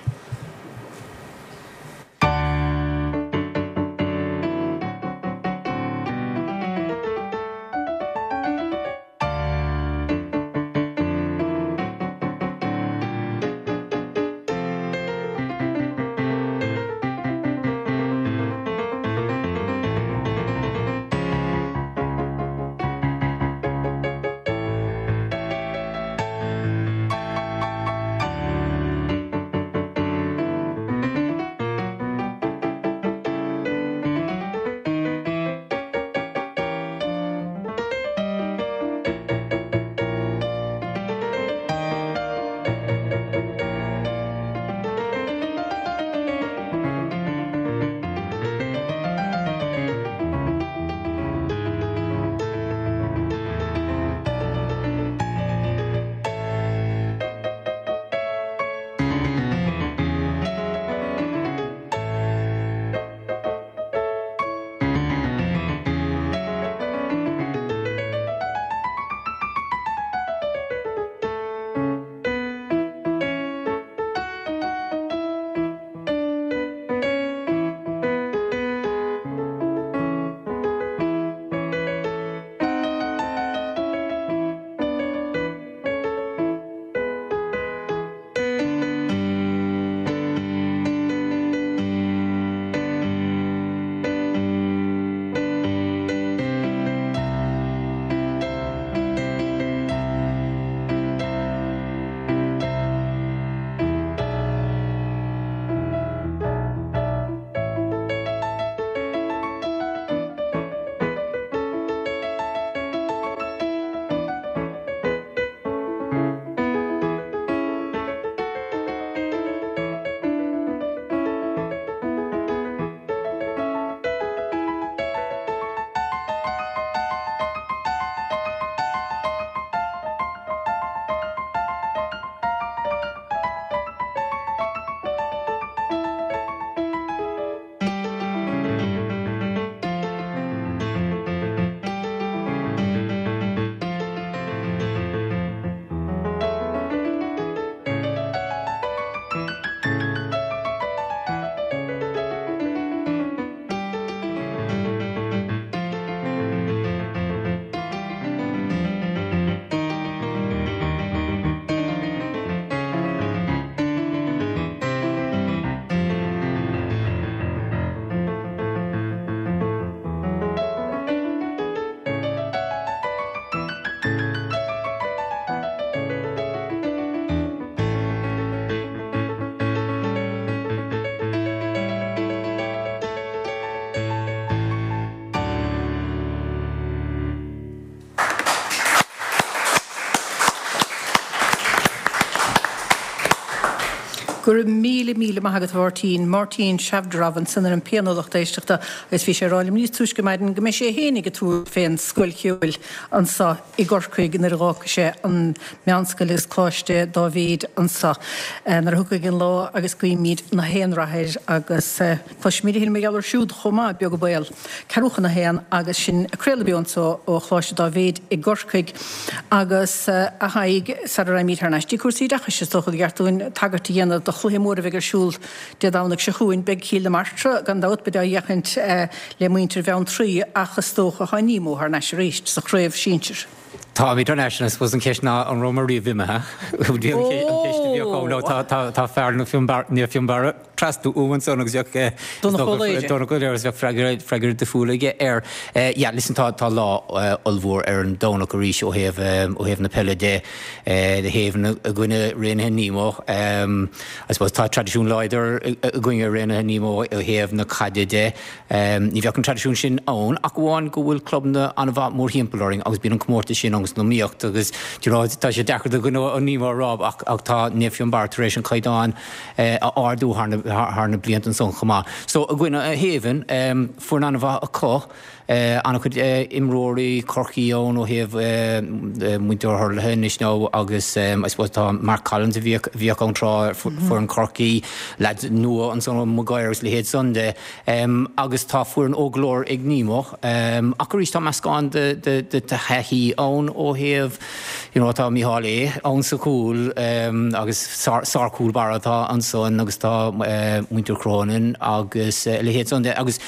Go raibh míle míle maith agat a Mháirtín, Máirtín Shavdorov ansan ar an pianó lucht éisteachta agus bhí sé ag rá liom níos túisce maidin go mbeidh sé fhéinig ag tabhairt fén scoil cheoil anso i gCorcaigh nuair a dh'fhágfaidh sé an meánscoil agus Coláiste Dáibhéid anso nuair a thiocfaidh an lá agus guímid na haon rath air agus cloisfimid a thuilleadh mar gheall air siúd chomh maith, beag an baol. Ceathrú chun a haon agus sinn ag craoladh beo anso ó Choláiste Dáibhéid i gCorcaigh agus a Thaidhg sara raghaimid thar n-ais dtí cúrsaí oideachais is dócha gur cheart dúinn tagairt a dhéanamh do chluiche mór a bheidh ar siúl Dé Domhnaigh seo chugainn. Beidh Cill na Martra gan dabht, beid á fhéachaint le muintir Bheanntraí ach is dócha tá Nemo thar n-ais arís sa chraobh sinsir. Táimid thar n-ais and I suppose an cheist ná an rabhamar riamh imithe? An cheist a bheadh ann. Nó tá fear Naomh Fionnbarra trasna uaim ansan agus bheadh Donncha Ó Laoghaire Donncha Ó Laoghaire agus bheadh freagra freagra difriúil aige air. Yeah listen tá tá lá ollmhór ar an Domhnach arís ó thaobh ó thaobh na peile de. Na hAodha i gcoinne Raonaithe Nemo. I suppose tá traidisiún láidir againne i Raonaithe Nemo ó thaobh na caide de. Ní bheadh an traidisiún sin ann ach amháin go bhfuil clubanna an-mhaith mórthimpeall orainn agus bíonn an comórtas sin ann san iomaíocht agus do you know tá sé deacair do dhuine ó Nemo a rá ach ach tá Naomh Fionnbarra tar éis an caighdeán a ardú thar na thar na blianta ansan chomh maith. So i gcoinne na hAodha, foireann an-mhaith acu. An-chuid imreoirí Chorcaí ann ó thaobh muintir hurlaithe anois now agus I suppose tá Mark Collins a bhíodh bhíodh ann tráth foireann Chorcaí, lads nua ansan ó Maguire agus leithéid san de agus tá foireann óg go leor ag Nemo ach arís tá meascán de de de thaithí ann ó thaobh you know tá Micheál A ann sa chúl agus sár-chúl báire atá ansan agus tá muintir Cronin agus a leithéid san de agus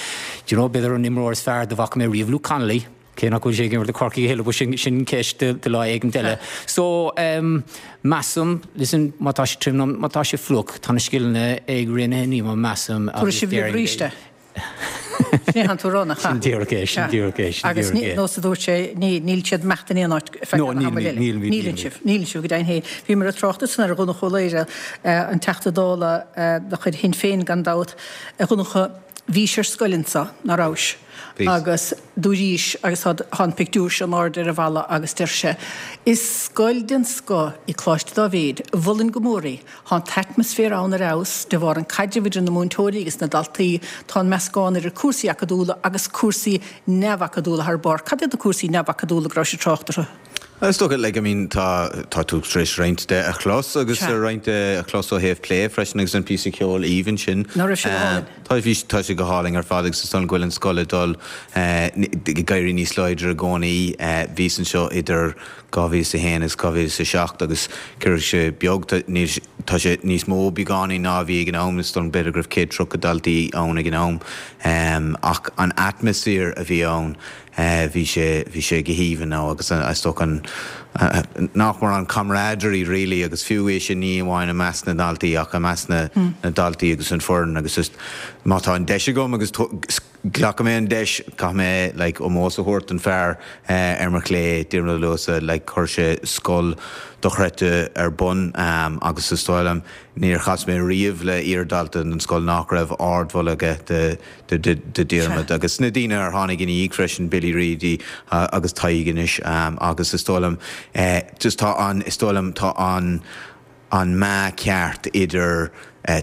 do you know b'fhéidir an imreoir is fearr dá bhfaca mé riamh Luke Connolly, cé nach bhfuil sé ag imirt do Chorcaigh a thuilleadh, but sin sin ceist do do lá éigint eile. So um measaim, listen, má tá sé tirim nó má tá sé fliuch, tá na scileanna ag Raonaithe Nemo, measaim, Tabharfaidh agus sibh libh déarfainn arís é. Sin é an tú rá, nach ea? Sin díreach é, sin díreach é, sin Agus díreach ní é. nós a dúirt sé, ní níl siad imeachta in aon áit feadh No, an níl, ama níl, eile. níl, níl, Níleann níl. sibh, níleann sibh go deimhin féin. Bhíomar ag trácht ansan ar Dhonncha Ó Laoghaire, an Teachta Dála de chuid Shinn Féin gan dabht, a Dhonncha, Bhís ar scoil anso, ná rabhais? Bhíos. Agus dúraís, agus tá an pictiúr seo in airde ar an bhalla agus deir sé, Is scoil den scoth í Coláiste Dáibhéid, mholfainn go mór í. Tá an t-atmaisféar ann ar fheabhas, de bharr an caidreamh idir na múinteoirí agus na daltaí, tá an meascán idir cúrsaí acadúla agus cúrsaí neamhacadúla thar barr. Cad iad na cúrsaí neamhacadúla go rabhais ag trácht orthu? Is dócha, like, I mean, tá, tá tú tar éis roinnt de a chlos agus Sea. roinnt de a chlos ó thaobh plé freisin agus an píosa ceoil aoibhinn sin. Ná raibh sé go hálainn? Tá, bhí, tá sé go hálainn ar fad agus is dóigh liom go bhfuil an scoil ag dul ag éirí níos láidre i gcónaí. Bhíos anseo idir dhá mhíle is a haon agus dhá mhíle is a seacht agus cé raibh sé beag, tá, níl, tá sé níos mó beagáinín ná a bhí ag an am, is dóigh liom b'fhéidir go raibh céad tríocha daltaí ann ag an am. Ach an atmaisféar a bhí ann, Bhí sé, bhí sé go haoibhinn now agus is dócha an, nach mór an camaraderie really agus fiú é sin ní amháin i measc na ndaltaí ach i measc na, na ndaltaí agus an foireann agus just má tá an deis agam agus glacfaidh mé an deis, caithfidh mé like ómós a thabhairt don fear ar mo chlé, Diarmuid Ó Luasa, like chuir sé scoil dochreidte ar bun agus is dóigh liom níor chas mé riamh le iardhalta den scoil nach raibh ardmholadh aige de de Diarmuid agus na daoine ar tháinig ina dhiaidh freisin, Billy Reidy agus Tadhg anois agus is dóigh liom just tá an, is dóigh liom tá an an meá ceart idir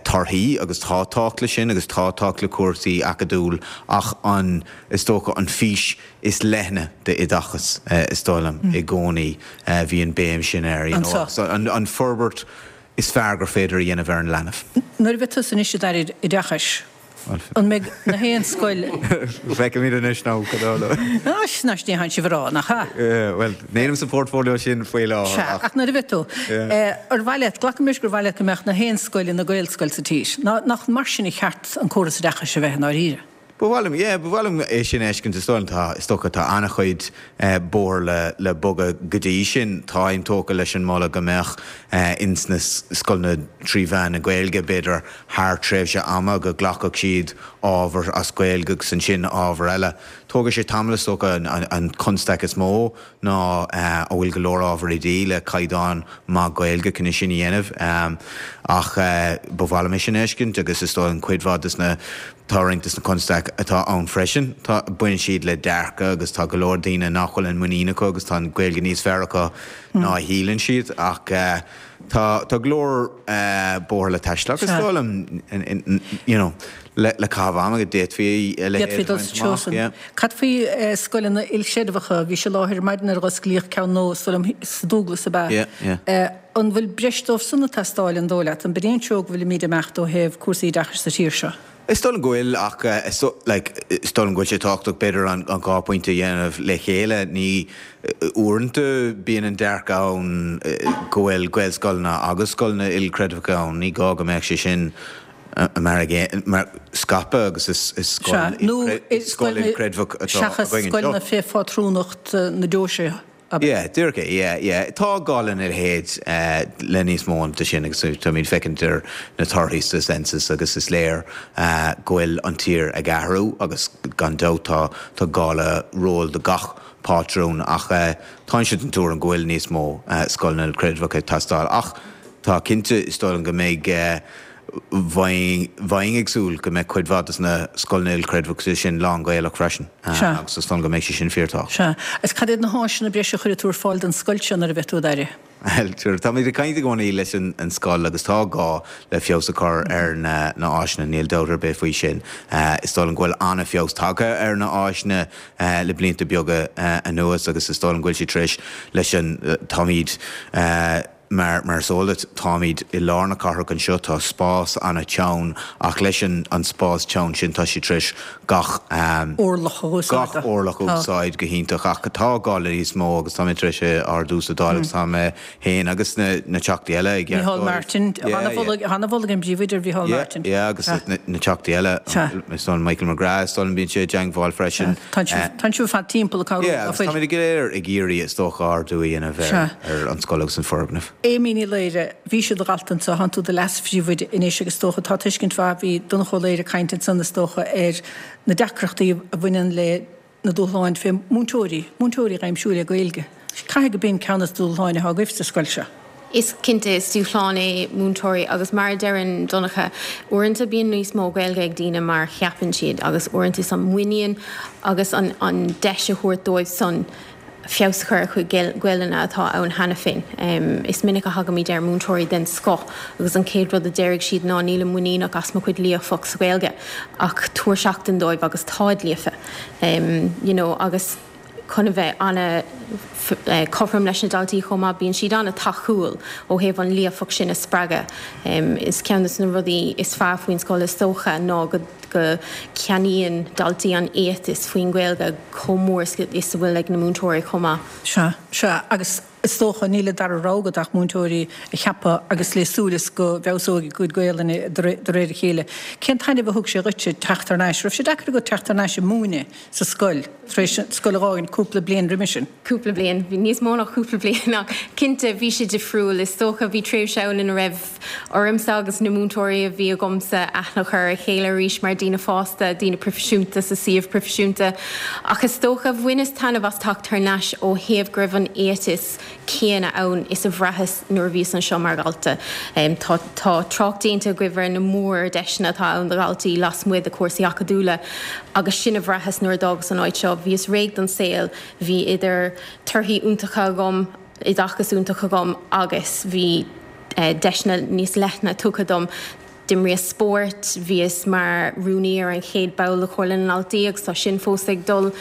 torthaí agus tá tábhacht leis sin agus tá tábhacht le cúrsaí acadúil ach an, is dócha an fís is leithne d'oideachas is dóigh liom i gcónaí bhí an béim sin air you know Anso. an an forbairt is fearr gur féidir a dhéanamh ar an leanbh. Nuair a bheidh tusa anois i d'Aire Oideachais, an mbeidh na haon scoil. Feicimid anois nó go dona. Anois, anois ní théann sibh a rá, nach ea? Bhuel, nílim sa portfolio sin faoi láthair Sea, ach. ach nuair a bheidh tú. Ar mhaith leat, glacaim leis gur mhaith leat go mbeadh na haon scoil ina Gaelscoil sa tír. Nach mar sin a cheart an córas oideachais a bheith i ndáiríre? Ba mhaith liom, yeah, ba mhaith liom é sin a fheiscint. Is dóigh liom, tá, is dócha, tá an-chuid bóthair le, le bogadh go dtí sin. Táim tógtha leis an moladh go mbeadh ins na scoileanna trí mheán na Gaeilge, b'fhéidir thar tréimhse ama, go nglacfadh siad ábhar as Gaeilge agus ansin ábhar eile. Tógfaidh sé tamall is dócha an constaic is mó ná a bhfuil go leor ábhar oidí le caighdeán maith Gaeilge chun é sin a dhéanamh. Ach ba mhaith liom é sin a fheiscint agus is dóigh an cuid mhaith des na tá roinnt des na constaic atá ann freisin tá baineann siad le dearcadh agus tá go leor daoine nach bhfuil an muinín acu agus tá an Ghaeilge níos fearr acu ná a shíleann siad ach tá tá go leor bóthar le taisteal agus is dóigh liom you know le le caitheamh ama go d'fhéadfaí a leithéid a bhaint amach, yeah. Cad faoi scoileanna ilchreidmheacha? Bhís i láthair ar maidin nuair a osclaíodh ceann nua, is dóigh liom, sa Dúglas ab ea? Yeah, yeah. An bhfuil breis dóibh san ag teastáil, an dóigh leat? An b'in é an treo go bhfuilimid ag imeacht ó thaobh cúrsaí oideachais sa tír seo? Is dóigh liom go bhfuil ach is like is dóigh liom go bhfuil sé tábhachtach b'fhéidir an an dhá phointe a dhéanamh le chéile. Ní uaireanta bíonn an dearcadh ann go bhfuil Gaelscoileanna agus scoileanna ilchreidmheacha ann. Ní gá go mbeadh sé sin mar mar scaipthe agus is is scoil Nó scoil ilchreidmheach atá seachas againn scoileanna anseo. fé phátrúnacht na deoise. Yeah, díreach é, yeah, yeah. Tá gá lena leithéid le níos mó de sin agus táimid féachaint ar na torthaí sa census agus is léir go bhfuil an tír ag athrú agus gan dabht tá tá gá le ról do gach pátrún ach táimse den tuairim go bhfuil níos mó scoileanna ilchreidmheacha ag teastáil ach tá cinnte is dóigh liom go mbeidh Bheinn ag súil go mbeidh cuid mhaith de na scoileanna ilchreidmheacha sin lán-Ghaelach freisin agus is dóigh liom go mbeidh sé sin fíorthábhachtach. Sea. Agus cad iad na háiseanna breise a chuirfidh tú ar fáil don scoil seo nuair a bheidh tú i d'Aire? Bhuel, táimid ag caint i gcónaí leis an scoil agus tá gá le feabhas a chur ar na háiseanna, níl dabht ar bith faoi sin. Is dóigh liom go bhfuil an-fheabhas tagtha ar na háiseanna le blianta beaga anuas agus is dóigh liom go bhfuil siad tar éis leis an, táimid, Mar mar is eol duit, táimid i lár na cathrach anseo, tá spás an-teann ach leis an an spás teann sin tá siad tar éis gach orlach a úsáid. gach orlach a úsáid go hiontach ach tá gá le níos mó agus táimid tar éis é a ardú sa Dáil agus tá mé féin agus na na Teachtaí eile ag Micheál Martin, an-mholadh ag an bPríomhoide ar Mhicheál Martin. Yeah, yeah agus na na Teachtaí eile, is dóigh liom Michael McGrath, is dóigh liom bíonn sé i dteangmháil freisin. Tá sibh ar fad timpeall ag cabhrú. Yeah, agus táimid go léir ag iarraidh is dócha ardú a dhéanamh ar ar an scoil agus an foirgneamh. Amy Ní Laoire, bhís i do dhalta anso, tánn tú i do leas-phríomhoide anois agus is dócha, tá tuiscint mhaith, bhí Donncha Ó Laoghaire ag caint ansan is dócha ar na deacrachtaí a bhaineann le na dúshláin fé múinteoirí, múinteoirí a aimsiú le Gaeilge. Caithfidh go b'in ceann de na dúshláin atá agaibh sa scoil seo. Is cinnte, is dúshlán é múinteoirí agus mar a deireann Donncha, uaireanta bíonn níos mó Gaeilge ag daoine mar cheapann siad agus uaireanta is an muinín agus an an deis a thabhairt dóibh san feabhas a chur ar a gcuid Gaelainne atá ann cheana féin. Is minic a thagaimid ar mhúinteoirí den scoth agus an chéad rud a déarfaidh siad ná nílim muiníneach as mo chuid líofacht sa Ghaeilge ach tabhair seachtain dóibh agus táid líofa you know agus chun a bheith ana cothrom leis na daltaí chomh maith bíonn siad ana tacúil ó thaobh an líofacht sin a spreagadh. Is ceann de na rudaí is fearr faoin scoil is dócha ná go go ceannaíonn daltaí an éiteas faoin Ghaeilge chomh mór is a bhfuil ag na múinteoirí chomh maith. Sea, sea, agus is dócha níl an dara rogha agat ach múinteoirí a cheapadh agus le súil is go bhfeabhsóidh a gcuid Gaelainne de réir a chéile. Cén taitneamh a thug sé dhuitse teacht thar n-ais? Raibh sé deacair agat teacht thar n-ais ag múineadh sa scoil tar éis an scoil a dh'fhágaint cúpla bliain roimis sin? Cúpla bliain, bhí níos mó ná cúpla bliain ach cinnte bhí sé difriúil. Is dócha bhí tréimhse ann ina raibh ormsa agus na múinteoirí a bhí agamsa aithne a chur ar a chéile arís mar daoine fásta, daoine proifisiúnta sa suíomh proifisiúnta. Ach is dócha, bhaineas taitneamh as teacht thar n-ais ó thaobh go raibh an éiteas céanna ann is a bhraitheas nuair a bhíos anseo mar dhalta. Tá tá trácht déanta agaibh ar na mórdheiseanna atá ann do dhaltaí lasmuigh de chúrsaí acadúla agus sin a bhraitheas nuair a d'fhágas an áit seo. Bhíos réidh don saol, bhí idir torthaí iontacha agam, oideachas iontach agam agus bhí deiseanna níos leithne tugtha dom. D'imríos spórt, bhíos mar rúnaí ar an chéad ball de Chomhairle na nDaltaí agus tá sin fós ag dul.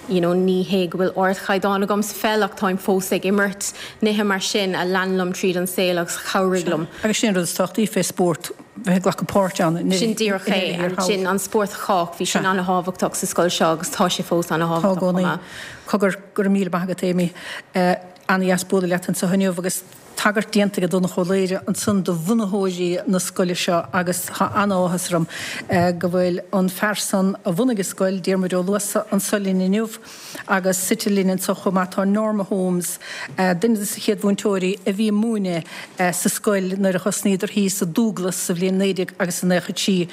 You know, ní hé go bhfuil ardchaighdeán agam sa pheil ach táim fós ag imirt, nithe mar sin a lean liom tríd an saol agus a chabhraigh liom. Agus sin an rud is tábhachtaí fé spórt, bheith ag glacadh páirt ann. Sin díreach é, sin an spórt do chách, bhí sin ana-thábhachtach sa scoil seo agus tá sé fós ana-thábhachtach chomh maith. Cogar, go raibh míle maith agat Amy. Ana-dheas bualadh leat anseo inniu agus tagairt déanta ag Donncha Ó Laoghaire ansan do bhunaitheoirí na scoile seo agus tá an-áthas orm go bhfuil an fear san a bhunaigh an scoil, Diarmuid Ó Luasa, anso linn inniu agus suite linn anso chomh maith tá Norma Holmes, duine de na chéad mhúinteoirí a bhí ag múineadh sa scoil nuair a thosnaíodar thíos i Dúglas sa bhliain naoi déag agus a naocha trí.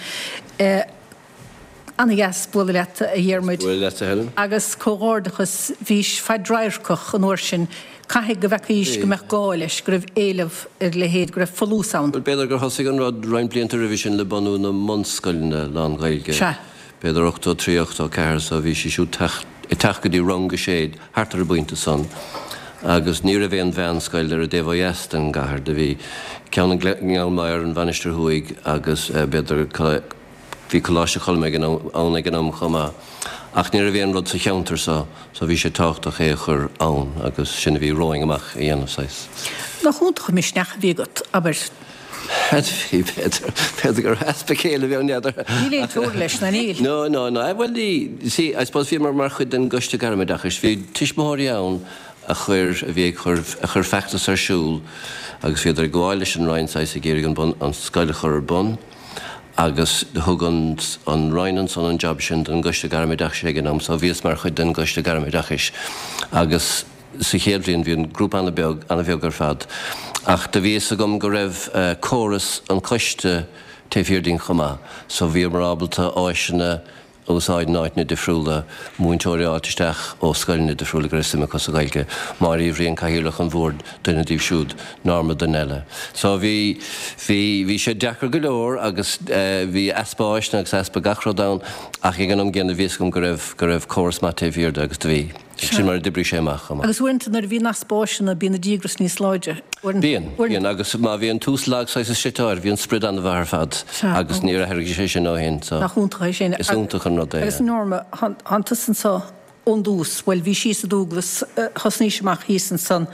Ana-dheas bualadh leat, a Dhiarmuid. Bualadh leat, a Helen. Agus comhghairdeachas, bhís fadradharcach an uair sin. Caithfidh go bhfeacaís go mbeadh gá leis, go raibh éileamh ar a leithéid, go raibh folús ann. Bhuel, b'fhéidir gur thosaigh an rud roinnt blianta roimhe sin le bunú na mbunscoileanna lán-Ghaeilge. Sea. B'fhéidir ochtó a trí, ochtó a ceathair, so bhí sí siúd ag teacht go dtí rang a sé thart ar an bpointe san. Agus ní raibh aon mheánscoil ar an dtaobh ó dheas den gcathair. Do bhí ceann i nGleann Maghair, an Mhainistir Thuaidh agus b'fhéidir Bhí Coláiste Choilm ann ag an am chomh maith, ach ní raibh aon rud sa cheantar so, so bhí sé tábhachtach é a chur ann agus sin a bhí romhainn amach a dhéanamh, saghas. Nach iontach an misneach a bhí agat, abair? Bhí, b'fhéidir, b'fhéidir gur easpa céille a bhí ann, n'fheadar. Níl aon teora leis, ná níl? No, no, no, bhuel ní, see, I suppose bhíomar mar chuid den gCoiste Gairmoideachais, bhí tuismitheoirí ann a chuir, a bhí ag cur, a chuir feachtas ar siúl agus bhíodar ag gabháil leis an Roinn saghas ag iarraidh an bun, an scoil a chur ar bun. Agus thug an an Roinn ansan an job sin don gCoiste Gairmoideachais ag an am so bhíos mar chuid den gCoiste Gairmoideachais agus sa chéad bhliain bhí an grúpa an-bheag, an-bheag ar fad ach do bhí fhios agam go raibh córas an choiste taobh thiar dínn chomh maith so bhíomar ábalta áiseanna a úsáid in áiteanna difriúla, múinteoirí a fháilt isteach ó scoileanna difriúla go raibh suim acu sa Ghaeilge, Máire Uí Bhriain, Cathaoirleach an Bhoird, duine díobh siúd, Norma duine eile. So bhí, bhí, bhí sé deacair go leor agus bhí easpa áiseanna agus easpa gach rud ann ach ag an am gcéanna bhí fhios agam go raibh, go raibh córas maith taobh thiar de agus do bhí. Sin mar a d'oibrigh sé amach chomh maith. Agus uaireanta nuair a bhíonn easpa áiseanna bíonn an díograis níos láidre. Bíonn, bíonn agus má bhíonn tús lag saghas is slite bhí an sprid an-mhaith ar fad agus níor athraigh sé sin ó shin so. Nach iontach é sin. Is iontach an rud é. Agus Norma, thánn tusa anso ón dtús, bhuel bhí síos i Dúglas, thosnaís amach thíos ansan.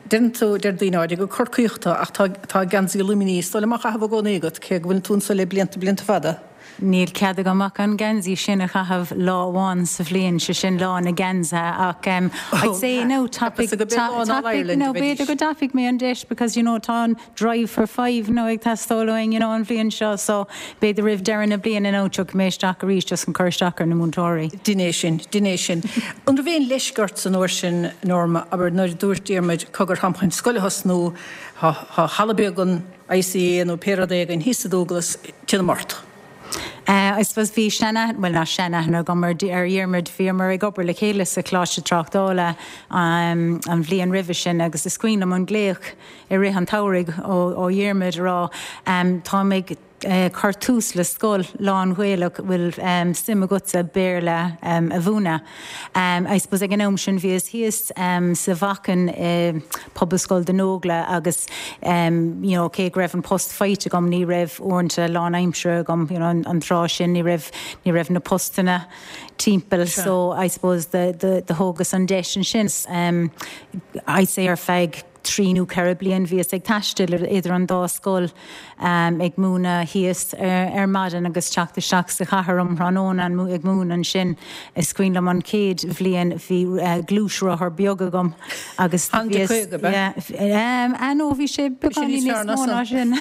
Deireann tú, deir daoine áirithe gur Corcaíoch tú ach tá tá geansaí Luimnigh is dóigh liom á chaitheamh i gcónaí agat cé go bhfuil tú anso le blianta blianta fada. Níl cead agam ach an geansaí sin a chaitheamh lá amháin sa bhliain, sé sin lá na geansaithe ach um, I'd say no tapaigh no b'fhéidir go dtapaigh mé an deis because you know tá an drive for five no ag teastáil uainn you know an bhliain seo so b'fhéidir roimh deireadh na bliana nó tiocfaidh mé isteach arís just chun cur isteach ar na múinteoirí. Dein é sin, dein é sin. An raibh aon leisce ort san uair sin Norma, abair nuair a dúirt Diarmuid cogar táim chun scoil a thosnú, tá halla beag an ICA nó pé rud é againn thíos i Dúglas, téanam ort. Uh, I suppose bhí seanaithne, well ná seanaithne agam ar ar Dhiarmuid, bhíomar ag obair le chéile sa Choláiste Tráchtála um, an bhliain roimhe sin agus is cuimhin liom an glaoch i rith an tsamhraidh ó, ó Dhiarmuid a rá um, táim ag uh, cur tús le scoil lán-Ghaelach bhfuil um, suim agatsa Béarla um, a mhúineadh. Um, I suppose ag an am sin bhíos thíos um, sa Mhachain uh, Pobalscoil Dún Nógla agus um, you know, cé go raibh an post faighte agam ní raibh uaireanta lánaimseartha agam you know, an, an tráth sin ní raibh ní raibh na postanna timpeall so I suppose the, the, the thógas an deis sin um, I'd say ar feadh trí nó ceithre bliain bhíos ag taisteal idir an dá scoil um, ag múineadh thíos ar, ar maidin agus teacht isteach sa chathair um thráthnóna ag múineadh ansin. Is cuimhin liom an chéad bhliain bhí uh, gluaisrothar beag agam agus yeah, um, ah, no, bhí sé beagáinín níos mó ná sin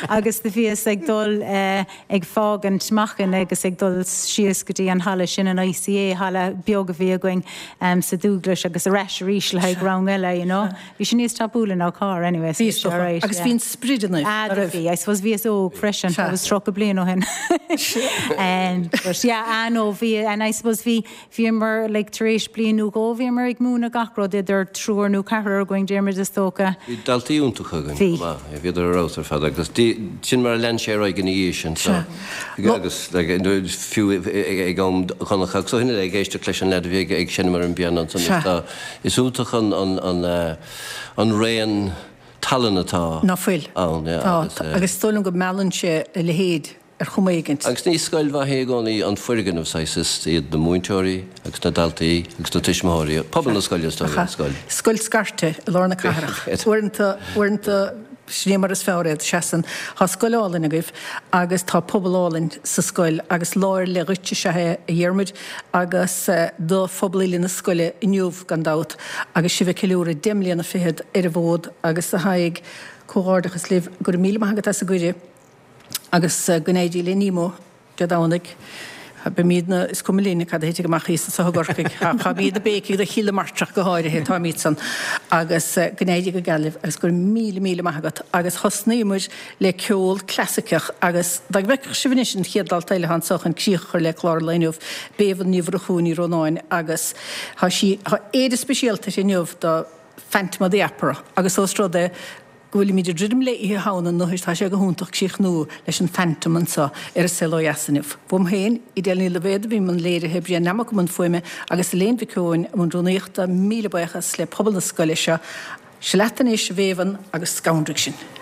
agus do bhíos ag dul uh, ag fágaint Machain agus ag dul síos go dtí an halla sin an ICA halla beag a bhí againn um, sa Dúglas agus ar ais arís le haghaidh rang eile, you know. Bhí sin níos tapúla ná carr anyway. Bhí right, agus bhí an sprid ina. Ah, bhí, I suppose bhíos óg freisin, I was tríocha bliain ó shin. um, but yeah, ah, no, bhí, and I suppose bhí bhíomar like, tar éis bliain nó dhó bhíomar ag múineadh gach rud idir triúr nó ceathrar againn Diarmuid is dócha. Bhí daltaí iontacha againn. Bhí. Bhíodar ar fheabhas ar fad agus sin mar a lean sé ar aghaidh ina dhiaidh sin so agus like, fiú ag am chonach agus ó shin ag éisteacht leis an leaid a bhí ag seinm ar an bpianó ansan is tá is iontach an an an an raon tallann atá Ná fuil. ann, yeah, Tá, agus, eh, agus is dóigh liom go meallann sé a leithéid ar chuma éigint. Agus ní scoil mhaith é i gcónaí an foirgneamh saghas, is iad na múinteoirí agus na daltaí agus na tuismitheoirí, pobal na scoile is dóigh liom, scoil. Scoil scairte i lár na cathrach. Uaireanta, uaireanta, sin é mar is fearr iad, seasann. Tá scoil álainn agaibh agus tá pobal álainn sa scoil agus lá ar leith dhuit is ea é, a Dhiarmuid, agus do phobal uile na scoile inniu gan dabht agus sibh ag ceiliúradh deich mbliana fichead ar an bhfód agus a Thaidhg, comhghairdeachas libh. Go raibh míle maith agat as an gcuireadh agus go n-éirí le Nemo Dé Domhnaigh. Beimidne, is cuma linne cad a thitfidh amach thíos anso i gCorcaigh. Táimid ina béicigh do Chill na Martra go háirithe, táimid san. Agus go n-éirí go geal libh agus go raibh míle míle maith agat. Agus thosnaíomar le ceol clasaiceach agus dá bhfeicfeadh sibh anois an chéad dalta eile atá anso chun críoch a chur le clár an lae inniu, Béibhinn Ní Mhurchú Ní Rónáin agus tá sí, tá éide speisialta uirthi inniu do Phantom of the Opera agus ós rud é go bhfuilimid ag druidim le Oíche Shamhna anois tá sé go hiontach críochnú leis an Phantom anseo ar An Saol Ó Dheas inniu. Uaim féin, Edel Ní Loibhéad a bhí i mbun léirithe, Brian Nammock i mbun fuaime agus Elaine Mhic Eoin i mbun rúnaíochta. Míle buíochas le pobal na scoile seo. Seo leat anois, a Bhéibhinn, agus scanraigh sinn.